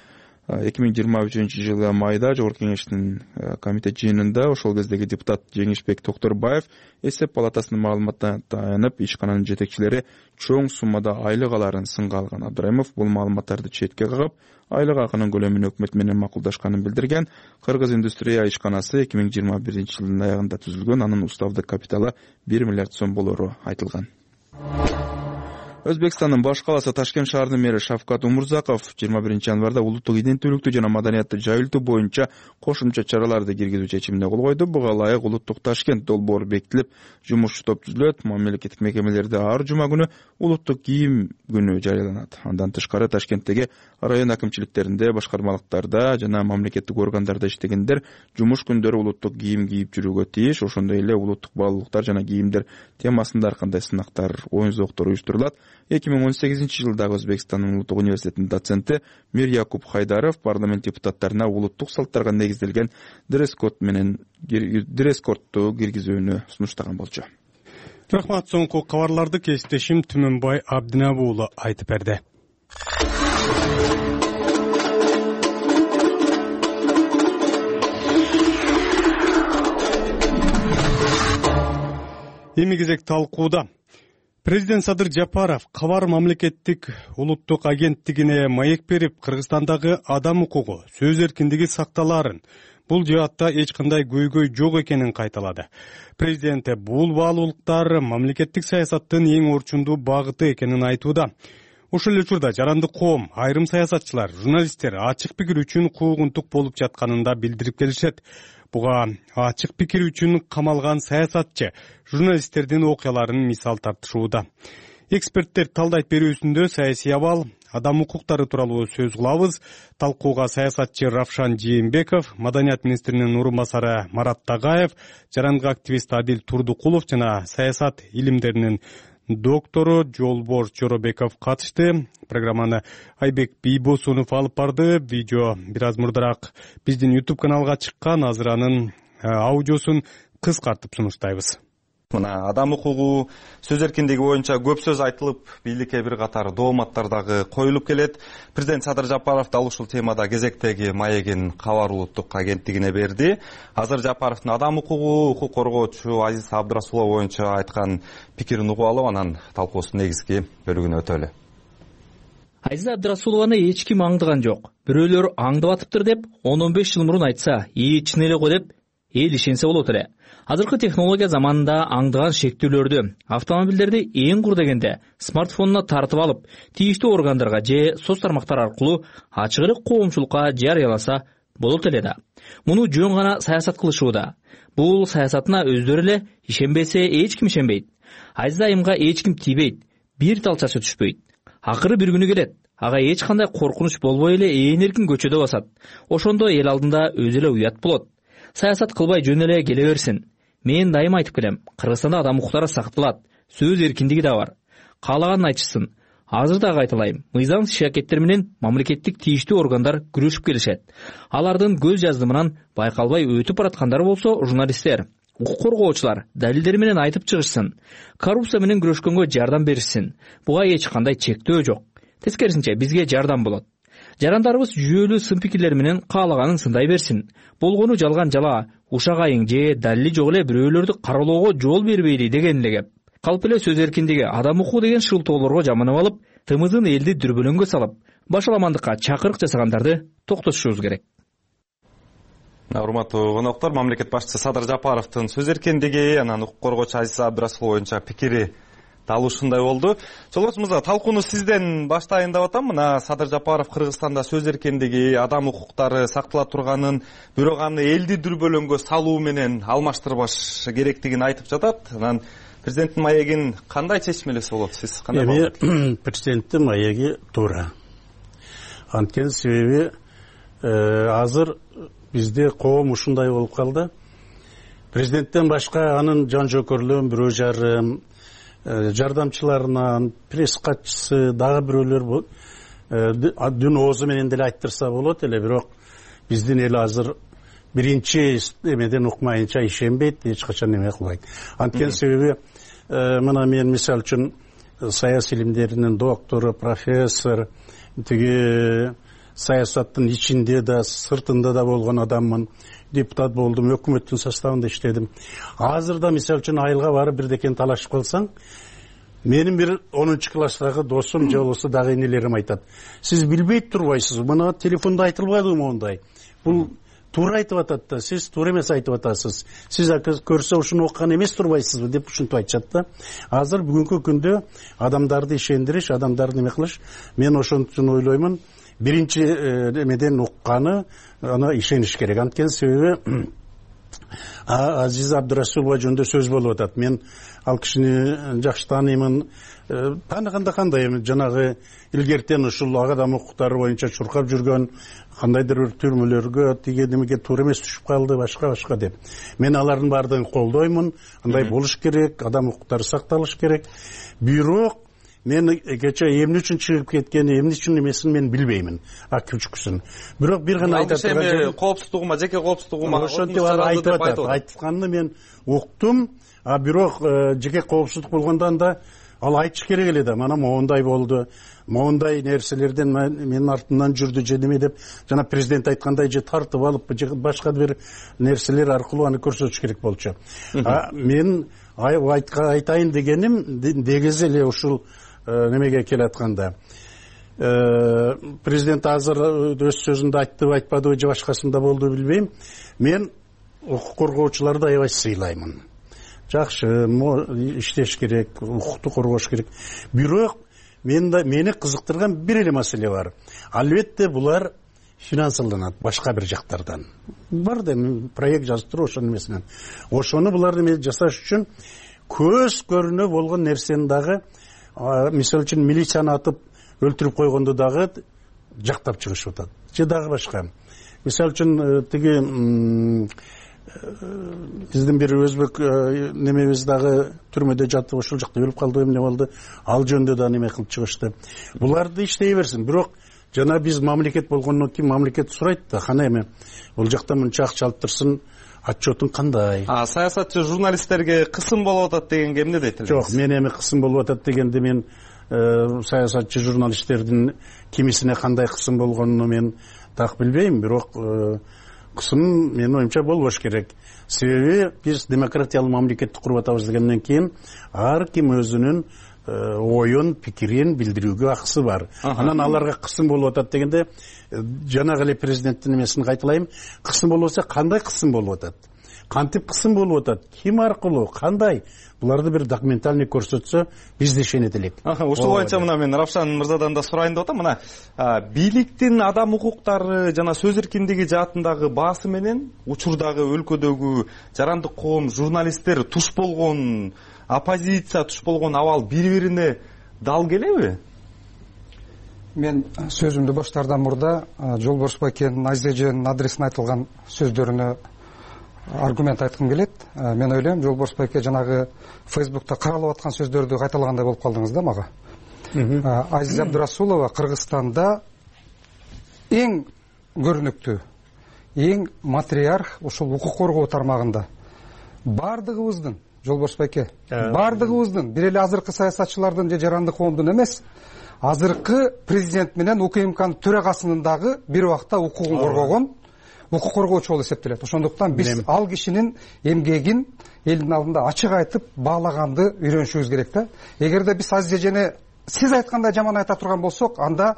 2023 жылы майда Жогорку Кеңештин комитет жыйынында ошол кездеги депутат Жеңишбек Токторбаев эсеп палатасынын маалыматына таянып, ишкананын жетекчилери чоң суммада айлык аларын сынга алган. Абдрайымов бул маалыматтарды четке кагып, айлык акынын көлөмүн өкмөт менен макулдашканын билдирген. Кыргыз индустрия ишканасы 2021 жылдын аягында түзүлгөн. Анын уставдык капиталы 1 миллиард сом болору айтылган. Өзбекстандын баш каласы Ташкент шаарынын мэри Шавкат Умурзаков 21 январда улуттук иденттүүлүктү жана маданиятты жайылтуу боюнча кошумча чараларды киргизүү чечимине кол койду. Буга ылайык улуттук Ташкент долбоору бекитилип, жумушчу топ түзүлөт. Мамлекеттик мекемелерде ар жума күнү улуттук кийим күнү жарыяланат. Андан тышкары Ташкенттеги район акимчиликтеринде, башкармалыктарда жана мамлекеттик органдарда иштегендер жумуш күндөрү улуттук кийим кийип жүрүүгө тийиш. Ошондой эле улуттук баалуулуктар жана кийимдер темасында ар кандай сынактар, оюн зооктор уюштурулат. 2018 жылдагы Өзбекстандын улуттук университетинин доценти Мир Якуб Хайдаров парламент депутаттарына улуттук салттарга негизделген дресс-кодду киргизүүнү сунуштаган болчу. Рахмат. Соңку кабарларды кесиптешим Түмөнбай Абдинабы уулу айтып берди. Эми кезек талкууда. Президент Садыр Жапаров Кабар мамлекеттик улуттук агенттигине маек берип, Кыргызстандагы адам укугу, сөз эркиндиги сакталаарын, бул жаатта эч кандай көйгөй жок экенин кайталады. Президент бул баалуулуктар мамлекеттик саясаттын эң орчундуу багыты экенин айтууда. Ошол эле учурда жарандык коом, айрым саясатчылар, журналисттер ачык пикир үчүн куугунтук болуп жатканын да билдирип келишет. Буга ачык пикир үчүн камалган саясатчы, журналисттердин окуяларын мисал тартышууда. Эксперттер талдайт берүүсүндө саясий абал, адам укуктары тууралуу сөз кылабыз. Талкууга саясатчы Равшан Жээнбеков, маданият министринин орун басары Марат Тагаев, жарандык активист Адил Турдукулов жана саясат илимдеринин доктору Жолбор Жоробеков катышты. Программаны Айбек Бийбосунов алып барды. Видео бир аз мурдараак биздин YouTube каналга чыккан. Азыр анын аудиосун кыскартып сунуштайбыз. Мына адам укугу, сөз эркиндиги боюнча көп сөз айтылып, бийликке бир катар дооматтар дагы коюлуп келет. Президент Садыр Жапаров дал ушул темада кезектеги маегин Кабар улуттук агенттигине берди. Азыр Жапаровдун адам укугу, укук коргоочу Азиз Абдрасулов боюнча айткан пикирин угуп алып, анан талкуусунун негизги бөлүгүнө өтөлү. Азиз Абдрасулованы эч ким аңдыган жок. Бирөөлөр аңдып атыптыр деп 10-15 жыл мурун айтса, чын эле го деп эл ишенсе болот эле. Азыркы технология заманында аңдыган шектүүлөрдү, автомобилдерди эң кур дегенде смартфонуна тартып алып, тийиштүү органдарга же соц тармактар аркылуу ачык эле коомчулукка жарыяласа болот эле да. Муну жөн гана саясат кылышууда. Бул саясатына өздөрү эле ишенбесе эч ким ишенбейт. Азиз айымга эч ким тийбейт, бир тал чачы түшпөйт. Акыры бир күнү келет. Ага эч кандай коркунуч болбой эле ээн эркин көчөдө басат. Ошондо эл алдында өзү эле уят болот. Саясат кылбай жөн эле келе берсин. Мен дайыма айтып келем, Кыргызстанда адам укуктары сакталат, сөз эркиндиги да бар. Каалаганын айтышсын. Азыр дагы айталайм, мыйзам иш-аракеттер менен мамлекеттик тийиштүү органдар күрөшүп келишет. Алардын көз жаздымынан байкалбай өтүп бараткандар болсо журналисттер, укук коргоочулар далилдери менен айтып чыгышсын. Коррупция менен күрөшкөнгө жардам беришсин. Буга эч кандай чектөө жок. Тескерисинче бизге жардам болот. Жарандарыбыз жүйөлүү сын пикирлер менен каалаганын сындай берсин. Болгону жалган жала, ушак айың же далили жок эле бирөөлөрдү кароолоого жол бербейли деген эле кеп. Калп эле сөз эркиндиги, адам укугу деген шылтоолорго жаманып алып, тымызын элди дүрбөлөңгө салып, башаламандыкка чакырык жасагандарды токтотушубуз керек. Урматтуу коноктор, мамлекет башчысы Садыр Жапаровдун сөз эркиндиги, анан укук коргоочу Азиз Абдрасулов боюнча пикири дал ушундай болду. Жолборчу мырза, талкууну сизден баштайын деп атам. Мына Садыр Жапаров Кыргызстанда сөз эркиндиги, адам укуктары сактала турганын, бирок аны элди дүрбөлөңгө салуу менен алмаштырбаш керектигин айтып жатат. Анан президенттин маегин кандай чечмелесе болот? Сиз кандай болот? Президенттин маеги туура. Анткени себеби азыр бизде коом ушундай болуп калды. Президенттен башка анын жан жокерлөрүн бирөө жарым, жардамчыларынан, пресс катчысы, дагы бирөөлөр дүн оозу менен деле айттырса болот эле, бирок биздин эл азыр биринчи эмеден укмайынча ишенбейт, эч качан эме кылбайт. Анткени себеби мына мен мисалы үчүн саясий илимдеринин доктору, профессор, тиги саясаттын ичинде да, сыртында да болгон адаммын. Депутат болдум, өкмөттүн составында иштедим. Азыр да мисалы үчүн айылга барып бирдекени талашып калсаң, менин бир 10-класстагы досум же болбосо дагы энелерим айтат. Сиз билбей турбайсыз, мына телефондо айтылбадыбы мондай. Бул туура айтып атат да, сиз туура эмес айтып атасыз. Сиз көрсө ушуну окуган эмес турбайсызбы деп ушинтип айтышат да. Азыр бүгүнкү күндө адамдарды ишендириш, адамдарды эме кылыш, мен ошон үчүн ойлоймун, биринчи эмеден укканы аны ишениш керек. Анткени себеби Азиза Абдырасулова жөнүндө сөз болуп атат. Мен ал кишини жакшы тааныймын. Тааныганда кандай эми жанагы илгертен ушул адам укуктары боюнча чуркап жүргөн, кандайдыр бир түрмөлөргө тиге немеге туура эмес түшүп калды, башка деп. Мен алардын баардыгын колдоймун. Андай болуш керек, адам укуктары сакталыш керек. Бирок мен кече эмне үчүн чыгып кеткени, эмне үчүн эмесин мен билбеймин, күчкүсүн. Бирок бир гана айтат турган коопсуздугума, жеке коопсуздугума ошентип айтып атат. Айтканды мен уктум, бирок жеке коопсуздук болгондо да ал айтыш керек эле да. Мана моундай болду, моундай нерселерден менин артымдан жүрдү же неме деп, жана президент айткандай же тартып алып, же башка бир нерселер аркылуу аны көрсөтүш керек болчу. Мен айтайын дегеним дегиз эле ушул немеге келатканда. Президент азыр өз сөзүндө айтты, айтпадыбы же башкасында болду билбейм. Мен укук коргоочуларды аябай сыйлаймын. Жакшы иштеш керек, укукту коргош керек. Бирок мени кызыктырган бир эле маселе бар. Албетте булар финансыланат башка бир жактардан. Бар да проект жазып туруп ошонун эмесинен. Ошону буларды мен жасаш үчүн көз көрүнө болгон нерсени дагы, мисалы үчүн милицияны атып өлтүрүп койгонду дагы жактап чыгышып атат. Же дагы башка. Мисалы үчүн тиги биздин бир өзбек немебиз дагы түрмөдө жатып ошол жакта өлүп калды, эмне болду, ал жөнүндө да неме кылып чыгышты. Буларды иштей берсин. Бирок жана биз мамлекет болгондон кийин мамлекет сурайт да, кана эме бул жакта мынча акча алып турсун, отчетун кандай? Саясатчы журналисттерге кысым болуп атат дегенге эмне дейт элеңиз? Жок, мен эми кысым болуп атат дегенде мен саясатчы журналисттердин кимисине кандай кысым болгонун мен так билбейм, бирок кысым менин оюмча болбош керек. Себеби биз демократиялык мамлекетти куруп атабыз дегенден кийин ар ким өзүнүн оюн, пикирин билдирүүгө акысы бар. Анан аларга кысым болуп атат дегенде жанагы эле президенттин эмесин кайталайм. Кысым болуп атса, кандай кысым болуп атат? Кантип кысым болуп атат? Ким аркылуу? Кандай? Буларды бир документальный көрсөтсө, биз да ишенет элек. Ушул боюнча мына мен Равшан мырзадан да сурайын деп атам. Мына бийликтин адам укуктары жана сөз эркиндиги жаатындагы баасы менен учурдагы өлкөдөгү жарандык коом, журналисттер туш болгон, оппозиция туш болгон абал бири-бирине дал келеби? Мен сөзүмдү баштаардан мурда Жолборс байкенин Азиза эженин адресине айтылган сөздөрүнө аргумент айткым келет. Мен ойлойм, Жолборс байке жанагы Фейсбукта каралып аткан сөздөрдү кайталагандай болуп калдыңыз да мага. Азиза Абдырасулова Кыргызстанда эң көрүнүктүү, эң матриарх ушул укук коргоо тармагында. Бардыгыбыздын, Жолборс байке, бардыгыбыздын, бир эле азыркы саясатчылардын же жарандык коомдун эмес, азыркы президент менен УКМКнын төрагасынын дагы бир убакта укугун коргогон укук коргоочу болуп эсептелет. Ошондуктан биз ал кишинин эмгегин элдин алдында ачык айтып баалаганды үйрөнүшүбүз керек да. Эгерде биз Азиза эжени сиз айткандай жаман айта турган болсок, анда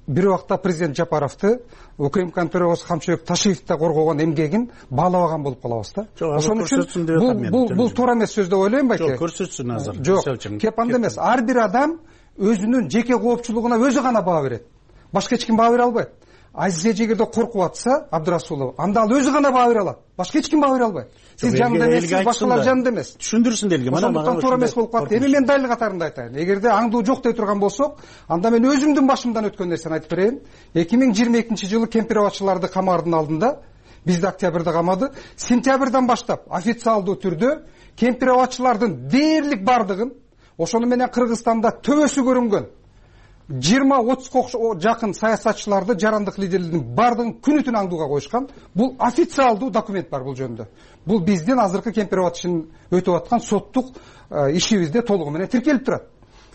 бир убакта президент Жапаровду, УКМКнын төрагасы Камчыбек Ташиевди коргогон эмгегин баалабаган болуп калабыз да. Ошон үчүн бул туура эмес сөз деп ойлойм байке. Жок, көрсөтсүн азыр. Жок, кеп анда эмес. Ар бир адам өзүнүн жеке коопчулугуна өзү гана баа берет. Башка эч ким баа бере албайт. Азиза эгерде коркуп атса, Абдырасулова, анда ал өзү гана баа бере алат. Башка эч ким баа бере албайт. Сиз жанында эмес, сиз башкалар жанында эмес. Түшүндүрсүн элге. Ошондуктан туура эмес болуп калат. Эми мен далил катарында айтайын. Эгерде аңдуу жок дей турган болсок, анда мен өзүмдүн башымдан өткөн нерсени айтып берейин. 2022-жылы кемпир абадчыларды камардын алдында бизди октябрда камады. Сентябрдан баштап официалдуу түрдө кемпир абадчылардын дээрлик бардыгын, ошону менен Кыргызстанда төбөсү көрүнгөн 20-30 жакын саясатчыларды, жарандык лидерлердин бардыгын күнү түн аңдууга коюшкан. Бул официалдуу документ бар бул жөнүндө. Бул биздин азыркы кемпир абад ишин өтүп аткан соттук ишибизде толугу менен тиркелип турат.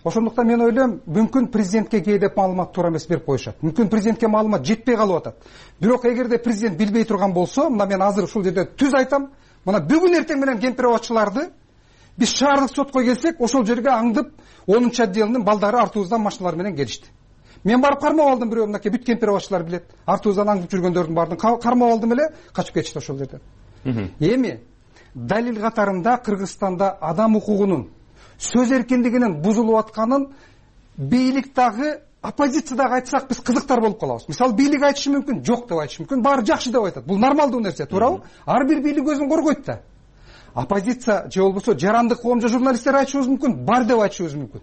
Ошондуктан мен ойлойм, мүмкүн президентке кээдеп маалымат туура эмес берип коюшат. Мүмкүн президентке маалымат жетпей калып атат. Бирок эгерде президент билбей турган болсо, мына мен азыр ушул жерде түз айтам, мына бүгүн эртең менен кемпир абадчыларды биз шаардык сотко келсек, ошол жерге аңдып 10-чы отделдин балдары артыбыздан машиналар менен келишти. Мен барып кармап алдым, бирөө мынакей бүт кемпир абадчылар билет. Артыбыздан аңдып жүргөндөрдүн баардыгын кармап алдым эле, качып кетишти ошол жерден. Эми далил катарында Кыргызстанда адам укугунун, сөз эркиндигинин бузулуп атканын бийлик дагы, оппозиция дагы айтсак биз кызыктар болуп калабыз. Мисалы бийлик айтышы мүмкүн, жок деп айтышы мүмкүн, баары жакшы деп айтат. Бул нормалдуу нерсе, туурабы? Ар бир бийлик өзүн коргойт да. Оппозиция же болбосо жарандык коом же журналисттер айтышыбыз мүмкүн, бар деп айтышыбыз мүмкүн.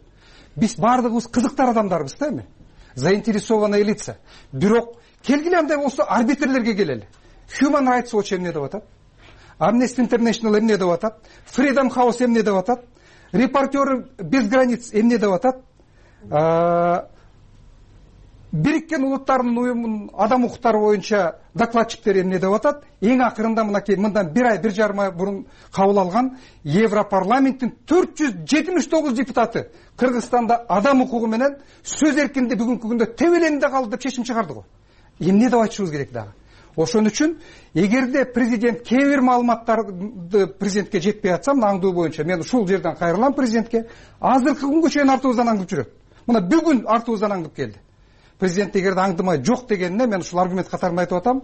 Биз баардыгыбыз кызыктар адамдарбыз да эми. Заинтересованные лица. Бирок келгиле андай болсо арбитрлерге келели. Human Rights Watch эмне деп атат? Amnesty International эмне деп атат? Freedom House эмне деп атат? Репортеры без границ эмне деп атат? Бириккен улуттардын уюмунун адам укуктары боюнча докладчиктери эмне деп атат? Эң акырында мынакей мындан 1 ай 1 жарым ай бурун кабыл алган Европарламенттин 479 депутаты Кыргызстанда адам укугу менен сөз эркиндиги бүгүнкү күндө тебеленде калды деп чечим чыгарды го. Эмне деп айтышыбыз керек дагы? Ошон үчүн эгерде президент кээ бир маалыматтарды президентке жетпей атса, мына аңдуу боюнча мен ушул жерден кайрылам президентке. Азыркы күнгө чейин артыбыздан аңдып жүрөт. Мына бүгүн артыбыздан аңдып келди. Президент эгерде аңдымай жок дегенине мен ушул аргумент катарында айтып атам.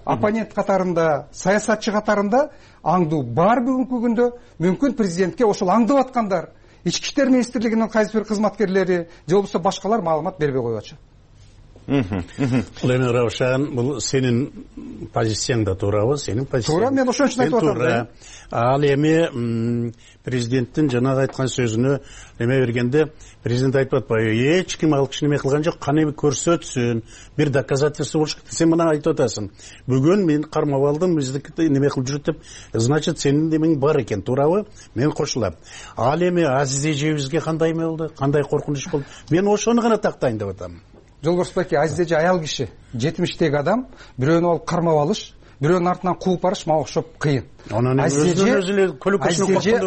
Оппонент катарында, саясатчы катарында аңдуу бар бүгүнкү күндө. Мүмкүн президентке ошол аңдып аткандар, ички иштер министрлигинин кайсы бир кызматкерлери же болбосо башкалар маалымат бербей коюп атышат. Бул эми Раушан, бул сенин позицияң да туурабы? Сенин позицияң. Туура, мен ошон үчүн айтып атам. Ал эми президенттин жанагы айткан сөзүнө эме бергенде президент айтып атпайбы? Эч ким ал киши неме кылган жок, каны көрсөтсүн, бир доказательство болуш керек. Сен мына айтып атасың. Бүгүн мен кармап алдым, бизди неме кылып жүрөт деп. Значит, сенин немең бар экен, туурабы? Мен кошулам. Ал эми Азиз эжебизге кандай эме болду? Кандай коркунуч болду? Мен ошону гана тактайын деп атам. Жолборс байке, Азиз эже аял киши, 70-теги адам, бирөөнү алып кармап алыш, бирөөнүн артынан кууп барыш мага окшоп кыйын. Азиз эже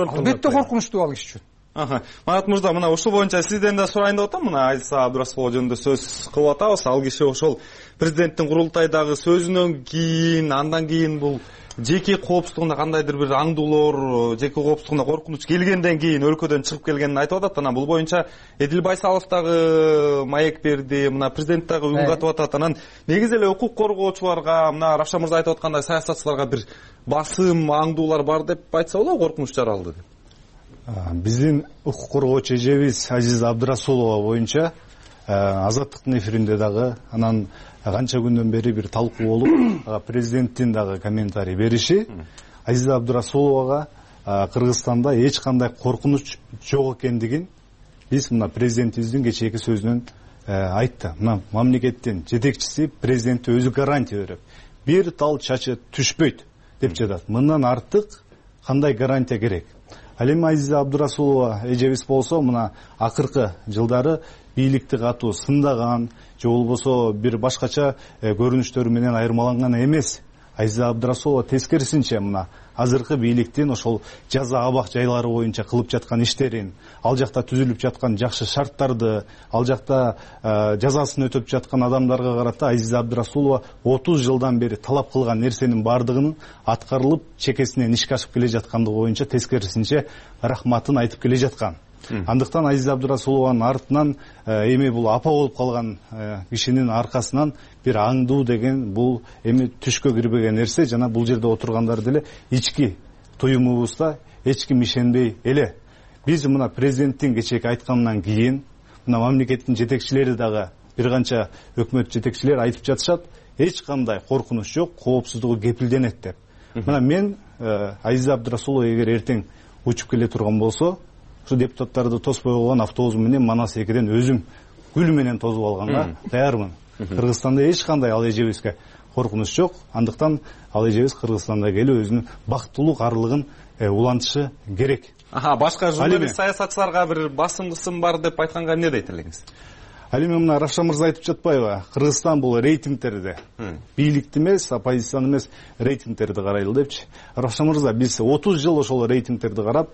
албетте коркунучтуу ал киши үчүн. Манат мырза, мына ушул боюнча сизден да сурайын деп атам. Мына Азиза Абдырасулова жөнүндө сөз кылып атабыз. Ал киши ошол президенттин курултайдагы сөзүнөн кийин, андан кийин бул жеке коопсуздугунда кандайдыр бир аңдуулор, жеке коопсуздугунда коркунуч келгенден кийин өлкөдөн чыгып келгенин айтып атат. Анан бул боюнча Эдил Байсалов дагы маек берди, мына президент дагы үн катып атат. Анан негизи эле укук коргоочуларга, мына Равшан мырза айтып аткандай саясатчыларга бир басым, аңдуулар бар деп айтса болобу, коркунуч жаралды деп. Биздин укук коргоочу эжебиз Азиза Абдырасулова боюнча Азаттыктын эфиринде дагы, анан канча күндөн бери бир талкуу болуп, президенттин дагы комментарий бериши, Азиза Абдырасуловага Кыргызстанда эч кандай коркунуч жок экендигин биз мына президентибиздин кечээки сөзүнөн айтты. Мына мамлекеттин жетекчиси президентке өзү гарантия берип, бир тал чачы түшпөйт деп жатат. Мындан артык кандай гарантия керек? Ал эми Азиза Абдырасулова эжебиз болсо, мына акыркы жылдары бийликти катуу сындаган, же болбосо бир башкача көрүнүштөрү менен айырмаланган эмес. Азиза Абдырасулова тескерисинче мына азыркы бийликтин ошол жаза абак жайлары боюнча кылып жаткан иштерин, ал жакта түзүлүп жаткан жакшы шарттарды, ал жакта жазасын өтөп жаткан адамдарга карата Азиза Абдырасулова 30 жылдан бери талап кылган нерсенин бардыгынын аткарылып, чекесинен ишке ашып келе жаткандыгы боюнча тескерисинче рахматын айтып келе жаткан. Андыктан Азиза Абдырасулованын артынан эми бул апа болуп калган кишинин аркасынан бир аңдуу деген бул эми түшкө кирбеген нерсе. Жана бул жерде отургандар деле ички туюмубузда эч ким ишенбей эле. Биз мына президенттин кечээки айтканынан кийин мына мамлекеттин жетекчилери дагы бир канча өкмөт жетекчилери айтып жатышат, эч кандай коркунуч жок, коопсуздугу кепилденет деп. Мына мен Азиза Абдырасулова эгер эртең учуп келе турган болсо, ушу депутаттарды тоспой койгон автобус менен Манас 2ден өзүм гүл менен тосуп алганга даярмын. Кыргызстанда эч кандай ал эжебизге коркунуч жок. Андыктан ал эжебиз Кыргызстанда келип өзүнүн бактылуу карлыгын улантышы керек. Башка журналист саясатчыларга бир басым кысым бар деп айтканга эмне дейт элеңиз? Ал эми мына Равшан мырза айтып жатпайбы? Кыргызстан бул рейтингтерди, бийликти эмес, оппозицияны эмес, рейтингтерди карайлы депчи. Равшан мырза, биз 30 жыл ошол рейтингтерди карап,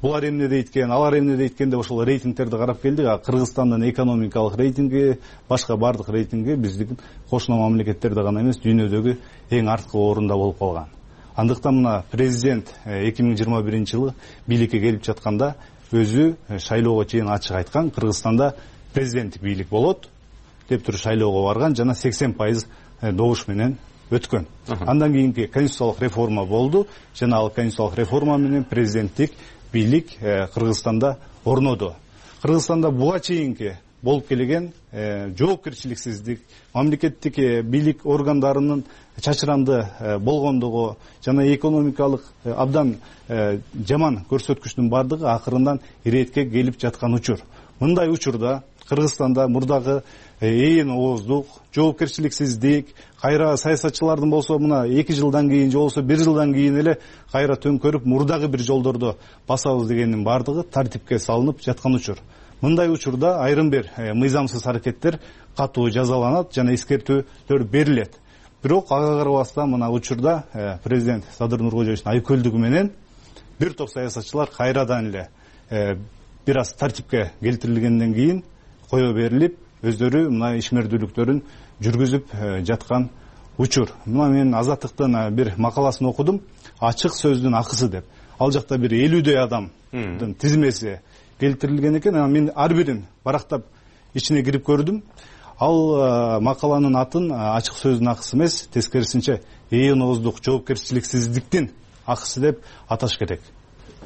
булар эмне дейт экен, алар эмне дейт экен деп ошол рейтингтерди карап келдик. Кыргызстандын экономикалык рейтинги, башка бардык рейтинги биздин кошуна мамлекеттерде гана эмес, дүйнөдөгү эң арткы орунда болуп калган. Андыктан мына президент 2021-жылы бийликке келип жатканда өзү шайлоого чейин ачык айткан, Кыргызстанда президенттик бийлик болот деп туруп шайлоого барган, жана 80% добуш менен өткөн. Андан кийинки конституциялык реформа болду, жана ал конституциялык реформа менен президенттик бийлик Кыргызстанда орноду. Кыргызстанда буга чейинки болуп келген жоопкерчиликсиздик, мамлекеттик бийлик органдарынын чачыранды болгондугу жана экономикалык абдан жаман көрсөткүчтүн бардыгы акырындан иретке келип жаткан учур. Мындай учурда Кыргызстанда мурдагы ээн ооздук, жоопкерчиликсиздик, кайра саясатчылардын болсо мына 2 жылдан кийин же болсо 1 жылдан кийин эле кайра төңкөрүп мурдагы бир жолдорду басабыз дегендин бардыгы тартипке салынып жаткан учур. Мындай учурда айрым бир мыйзамсыз аракеттер катуу жазаланат жана эскертүүлөр берилет. Бирок ага карабастан мына учурда президент Садыр Нуркожоевичтин айкөлдүгү менен бир топ саясатчылар кайрадан эле бир аз тартипке келтирилгенден кийин кое берилип, өздөрү мына ишмердүүлүктөрүн жүргүзүп жаткан учур. Мына мен Азаттыктын бир макаласын окудум, ачык сөздүн акысы деп. Ал жакта бир 50дөй адамдын тизмеси келтирилген экен. Мен ар бирин барактап ичине кирип көрдүм. Ал макаланын атын ачык сөздүн акысы эмес, тескерисинче ээн ооздук, жоопкерчиликсиздиктин акысы деп аташ керек.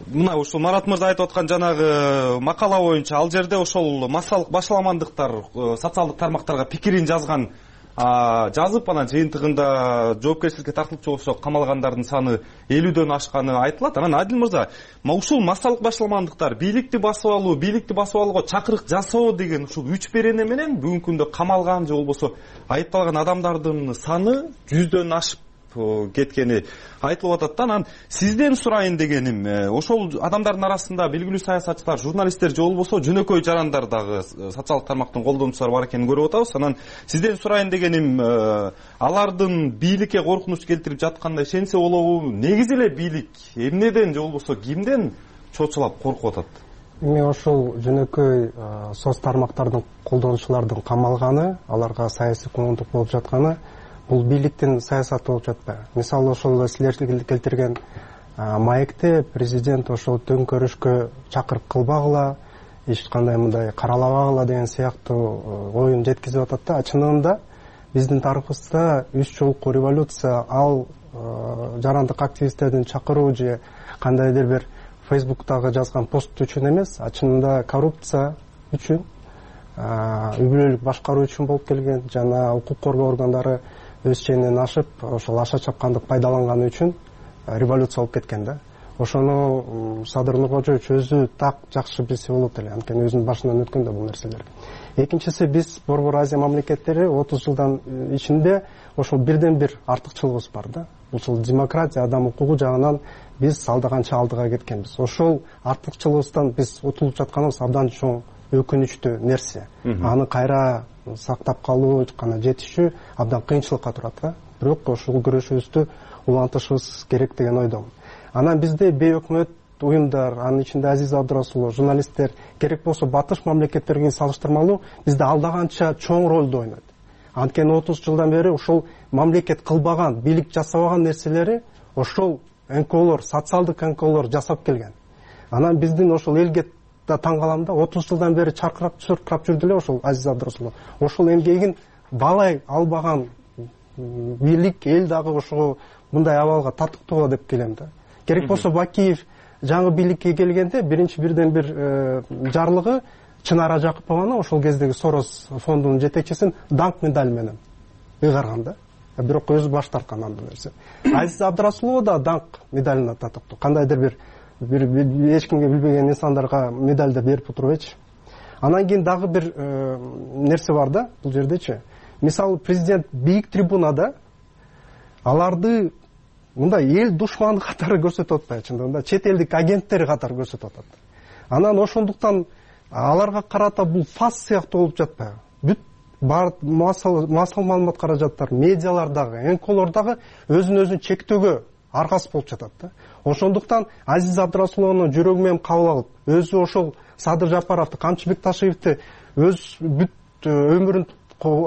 Мына ушул Марат мырза айтып аткан жанагы макала боюнча ал жерде ошол массалык башаламандыктар социалдык тармактарга пикирин жазган, жазып анан жыйынтыгында жоопкерчиликке тартылчу болсо камалгандардын саны 50дөөн ашканы айтылат. Анан Адил мырза, ушул массалык башаламандыктар бийликти басып алууга чакырык жасоо деген ушул 3 берене менен бүгүнкү күндө камалган же болбосо айыпталган адамдардын саны 100дөөн ашып кеткени айтылып атат. Анан сизден сурайын дегеним, ошол адамдардын арасында белгилүү саясатчылар, журналисттер же болбосо жөнөкөй жарандар дагы социалдык тармактын колдонуучулары бар экенин көрүп атабыз. Анан сизден сурайын дегеним, алардын бийликке коркунуч келтирип жатканына ишенсе болобу? Негизи эле бийлик эмнеден же болбосо кимден чочулап коркуп атат? Эми ошол жөнөкөй соц тармактардын колдонуучулардын камалганы, аларга саясий куугунтук болуп жатканы бул бийликтин саясаты болуп жатпайбы? Мисалы ошол силер келтирген маекте президент ошол төңкөрүшкө чакырык кылбагыла, эч кандай мындай каралабагыла деген сыяктуу оюн жеткизип атат да. Чынында биздин тарыхыбызда 3 жолку революция ал жарандык активисттердин чакыруу же кандайдыр бир Фейсбуктагы жазган пост үчүн эмес, чынында коррупция үчүн, үй бүлөлүк башкаруу үчүн болуп келген, жана укук коргоо органдары өз ченинен ашып, ошол аша чапкандык пайдаланганы үчүн революция болуп кеткен да. Ошону Садыр Нуркожоевич өзү так жакшы билсе болот эле, анткени өзүнүн башынан өткөн да бул нерселер. Экинчиси, биз Борбор Азия мамлекеттери 30 жылдан ичинде ошол бирден бир артыкчылыгыбыз бар да. Ушул демократия, адам укугу жагынан биз алдаганча алдыга кеткенбиз. Ошол артыкчылыгыбыздан биз утулуп жатканыбыз абдан чоң өкүнүчтүү нерсе. Аны кайра сактап калуу, жана жетишүү абдан кыйынчылыкка турат да. Бирок ошол күрөшүбүздү улантышыбыз керек деген ойдомун. Анан бизде бейөкмөт уюмдар, анын ичинде Азиз Абдрасулов, журналисттер керек болсо батыш мамлекеттерге салыштырмалуу бизде алдаганча чоң ролду ойнойт. Анткени 30 жылдан бери ошол мамлекет кылбаган, бийлик жасабаган нерселери ошол НКОлор, социалдык НКОлор жасап келген. Анан биздин ошол элге да таң калам да, 30 жылдан бери чаркырап жүрдү эле ошол Азиз Абдрасулов. Ошол эмгегин баалай албаган бийлик, эл дагы ошого мындай абалга татыктуу деп келем да. Керек болсо Бакиев жаңы бийликке келгенде бирден бир жарлыгы Чынара Жакыпованы, ошол кездеги Сорос фондунун жетекчисин даңк медаль менен ыйгарган да. Бирок өзү баш тарткан андай нерсе. Азиз Абдрасулов да даңк медалына татыктуу. Кандайдыр бир эч кимге билбеген инсандарга медаль да берип отурбайчы. Анан кийин дагы бир нерсе бар да бул жердечи. Мисалы президент бийик трибунада аларды мындай эл душманы катары көрсөтүп атпайбы, чындыгында чет элдик агенттер катары көрсөтүп атат. Анан ошондуктан аларга карата бул фас сыяктуу болуп жатпайбы? Бүт бар массалык маалымат каражаттар, медиалар дагы, НКОлор дагы өзүн чектөөгө аргасыз болуп жатат да. Ошондуктан Азиз Абдрасуловну жүрөгү менен кабыл алып, өзү ошол Садыр Жапаровду, Камчы Бекташевди өз бүт өмүрүн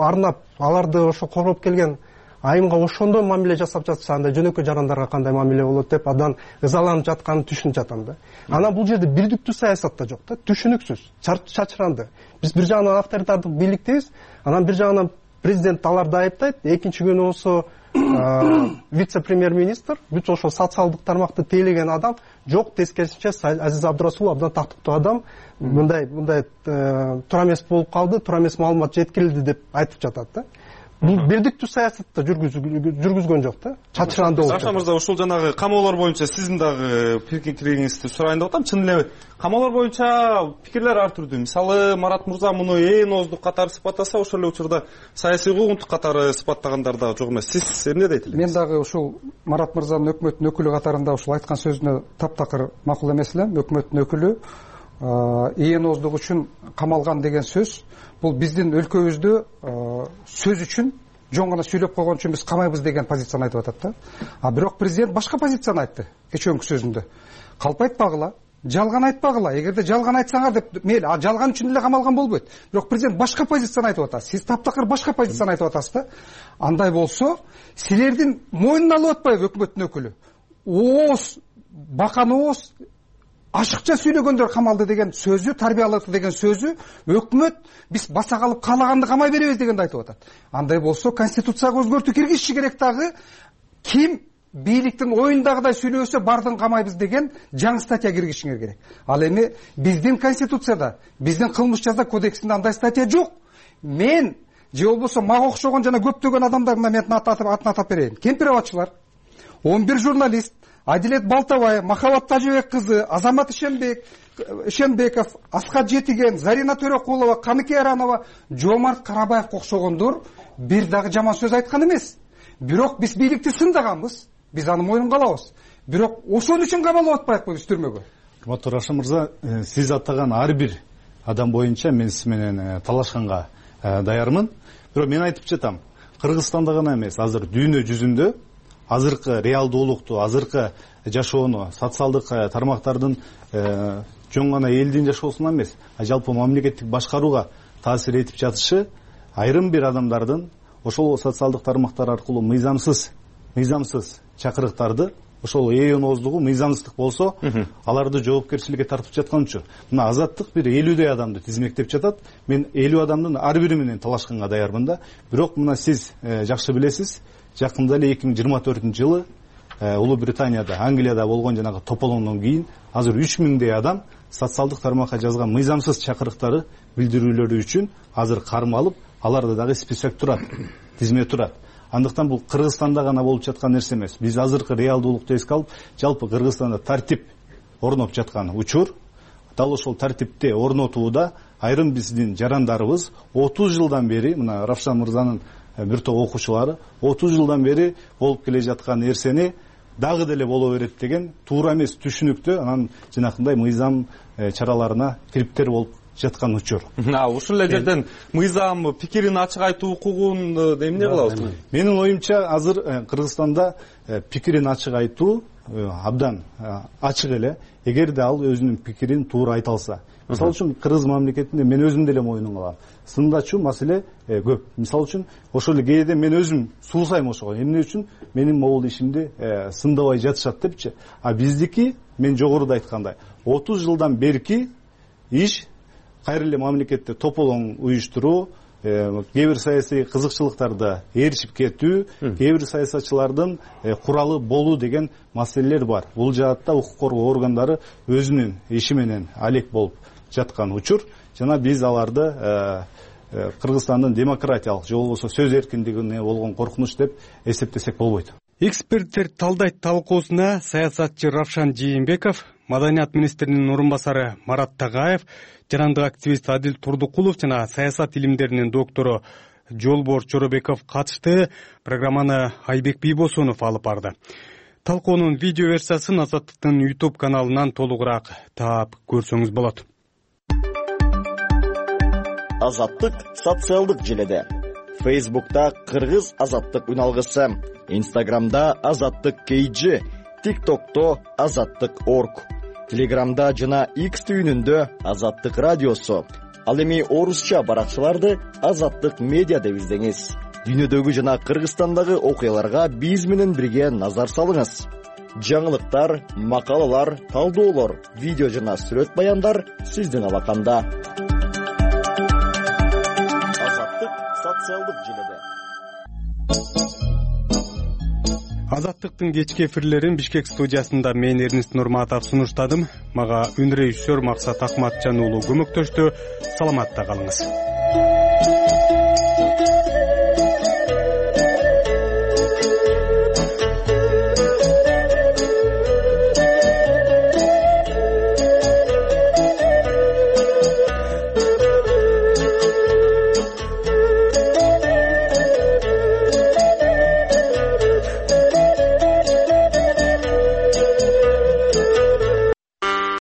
арнап, аларды ошо коргоп келген айымга ошондой мамиле жасап жатса, анда жөнөкөй жарандарга кандай мамиле болот деп адан ызаланып жатканын түшүнүп жатам да. Анан бул жерде бирдиктүү саясат да жок да, түшүнүксүз, чачыранды. Биз бир жагынан авторитардык бийликтебиз, анан бир жагынан президент аларды айыптайт, экинчи күнү болсо вице-премьер-министр, бүт ошол социалдык тармакты тейлеген адам жок, тескерисинче Азиз Абдрасулов абдан тактыктуу адам, мындай туура эмес болуп калды, туура эмес маалымат жеткирилди деп айтып жатат да. Бул бирдиктүү саясатты жүргүзгөн жок да, чачыранды болуп. Равшан мырза, ушул жанагы камоолор боюнча сиздин дагы пикириңизди сурайын деп атам. Чын эле камоолор боюнча пикирлер ар түрдүү. Мисалы, Марат мырза муну ооздук катары сыпаттаса, ошол эле учурда саясий куугунтук катары сыпаттагандар дагы жок эмес. Сиз эмне дейт элеңиз? Мен дагы ушул Марат мырзанын өкмөттүн өкүлү катарында ушул айткан сөзүнө таптакыр макул эмес элем. Өкмөттүн өкүлү ооздук үчүн камалган деген сөз бул биздин өлкөбүздө сөз үчүн жөн гана сүйлөп койгон үчүн биз камайбыз деген позицияны айтып атат да. Бирок президент башка позицияны айтты кечээкү сөзүндө. Калп айтпагыла, жалган айтпагыла. Эгерде жалган айтсаңар деп мейли, жалган үчүн эле камалган болбойт. Бирок президент башка позицияны айтып атат. Сиз таптакыр башка позицияны айтып атасыз да. Андай болсо, силердин мойнуна алып атпайбы өкмөттүн өкүлү? Ооз, бакан ооз ашыкча сүйлөгөндөр камалды деген сөзү, тарбиялады деген сөзү, өкмөт биз баса калып каалаганды камай беребиз дегенди айтып атат. Андай болсо конституцияга өзгөртүү киргизиши керек дагы. Ким бийликтин оюндагыдай сүйлөсө бардын камайбыз деген жаңы статья киргизишиңер керек. Ал эми биздин конституцияда, биздин кылмыш жаза кодексинде андай статья жок. Мен же болбосо мага окшогон жана көптөгөн адамдар мына мен атын атап берейин. Кемпир абадчылар, 11 журналист, Адилет Балтабай, Махабат Тажыбек кызы, Азамат Ишенбеков, Аскат Жетиген, Зарина Төрөкулова, Каныке Аранова, Жомарт Карабаевге окшогондор бир дагы жаман сөз айткан эмес. Бирок биз бийликти сындаганбыз, биз аны мойнунга алабыз. Бирок ошон үчүн камалып атпайбы биз түрмөгө? Урматтуу Равшан мырза, сиз аттаган ар бир адам боюнча мен сиз менен талашканга даярмын. Бирок мен айтып жатам, Кыргызстанда гана эмес, азыр дүйнө жүзүндө азыркы реалдуулукту, азыркы жашоону социалдык тармактардын жөн гана элдин жашоосуна эмес, жалпы мамлекеттик башкарууга таасир этип жатышы айрым бир адамдардын ошол социалдык тармактар аркылуу мыйзамсыз чакырыктарды, ошол ооздугу мыйзамсыздык болсо, аларды жоопкерчиликке тартып жаткан үчүн мына Азаттык бир 50дөй адамды тизмектеп жатат. Мен 50 адамдын ар бири менен талашканга даярмын да. Бирок мына сиз жакшы билесиз, жакында эле 2024-жылы Улуу Британияда, Англияда болгон жанагы тополондон кийин азыр 3000дей адам социалдык тармакка жазган мыйзамсыз чакырыктары, билдирүүлөрү үчүн азыр кармалып, аларда дагы список турат, тизме турат. Андыктан бул Кыргызстанда гана болуп жаткан нерсе эмес. Биз азыркы реалдуулукту эске алып, жалпы Кыргызстанда тартип орноп жаткан учур, дал ошол тартипти орнотууда айрым биздин жарандарыбыз 30 жылдан бери, мына Равшан мырзанын бир топ окуучулары 30 жылдан бери болуп келе жаткан нерсени дагы деле боло берет деген туура эмес түшүнүктө, анан жанакындай мыйзам чараларына кириптер болуп жаткан учур. Ушул эле жерден мыйзам пикирин ачык айтуу укугун эмне кылабыз? Менин оюмча азыр Кыргызстанда пикирин ачык айтуу абдан ачык эле, эгерде ал өзүнүн пикирин туура айта алса. Мисалы үчүн Кыргыз мамлекетинде мен өзүм деле мойнума алам. Сындачу маселе көп. Мисалы үчүн ошол эле кээде мен өзүм суусайм ошого. Эмне үчүн менин могул ишимди сындабай жатышат депчи. А биздики, мен жогоруда айткандай, 30 жылдан берки иш кайра эле мамлекетте тополоң уюштуруу, кээ бир саясий кызыкчылыктарды ээрчип кетүү, кээ бир саясатчылардын куралы болуу деген маселелер бар. Бул жаатта укук коргоо органдары өзүнүн иши менен алек болуп жаткан учур. Жана биз аларды Кыргызстандын демократиялык же болбосо сөз эркиндигине болгон коркунуч деп эсептесек болбойт. Эксперттер талдайт талкуусуна саясатчы Равшан Жээнбеков, Маданият министринин орун басары Марат Тагаев, жарандык активист Адил Турдукулов жана саясат илимдеринин доктору Жолборс Жоробеков катышты. Программаны Айбек Бийбосунов алып барды. Талкуунун видео версиясын Азаттыктын YouTube каналынан толугураак таап көрсөңүз болот. Азаттык социалдык желеде. Facebook'ta Кыргыз Азаттык үналгысы, Instagram'da Азаттык KG, TikTok'to Азаттык.org, Telegram'da жана X түйүнүндө Азаттык радиосу. Ал эми орусча баракчаларды Азаттык медиа деп издеңиз. Дүйнөдөгү жана Кыргызстандагы окуяларга биз менен бирге назар салыңыз. Жаңылыктар, макалалар, талдоолор, видео жана сүрөт баяндар сиздин алаканда. Азаттык социалдык желеде. Азаттыктын кечки эфирлерин Бишкек студиясында мен Эрнест Нурматов сунуштадым. Мага үн режиссер Максат Акматжан уулу көмөктөштү. Саламатта калыңыз.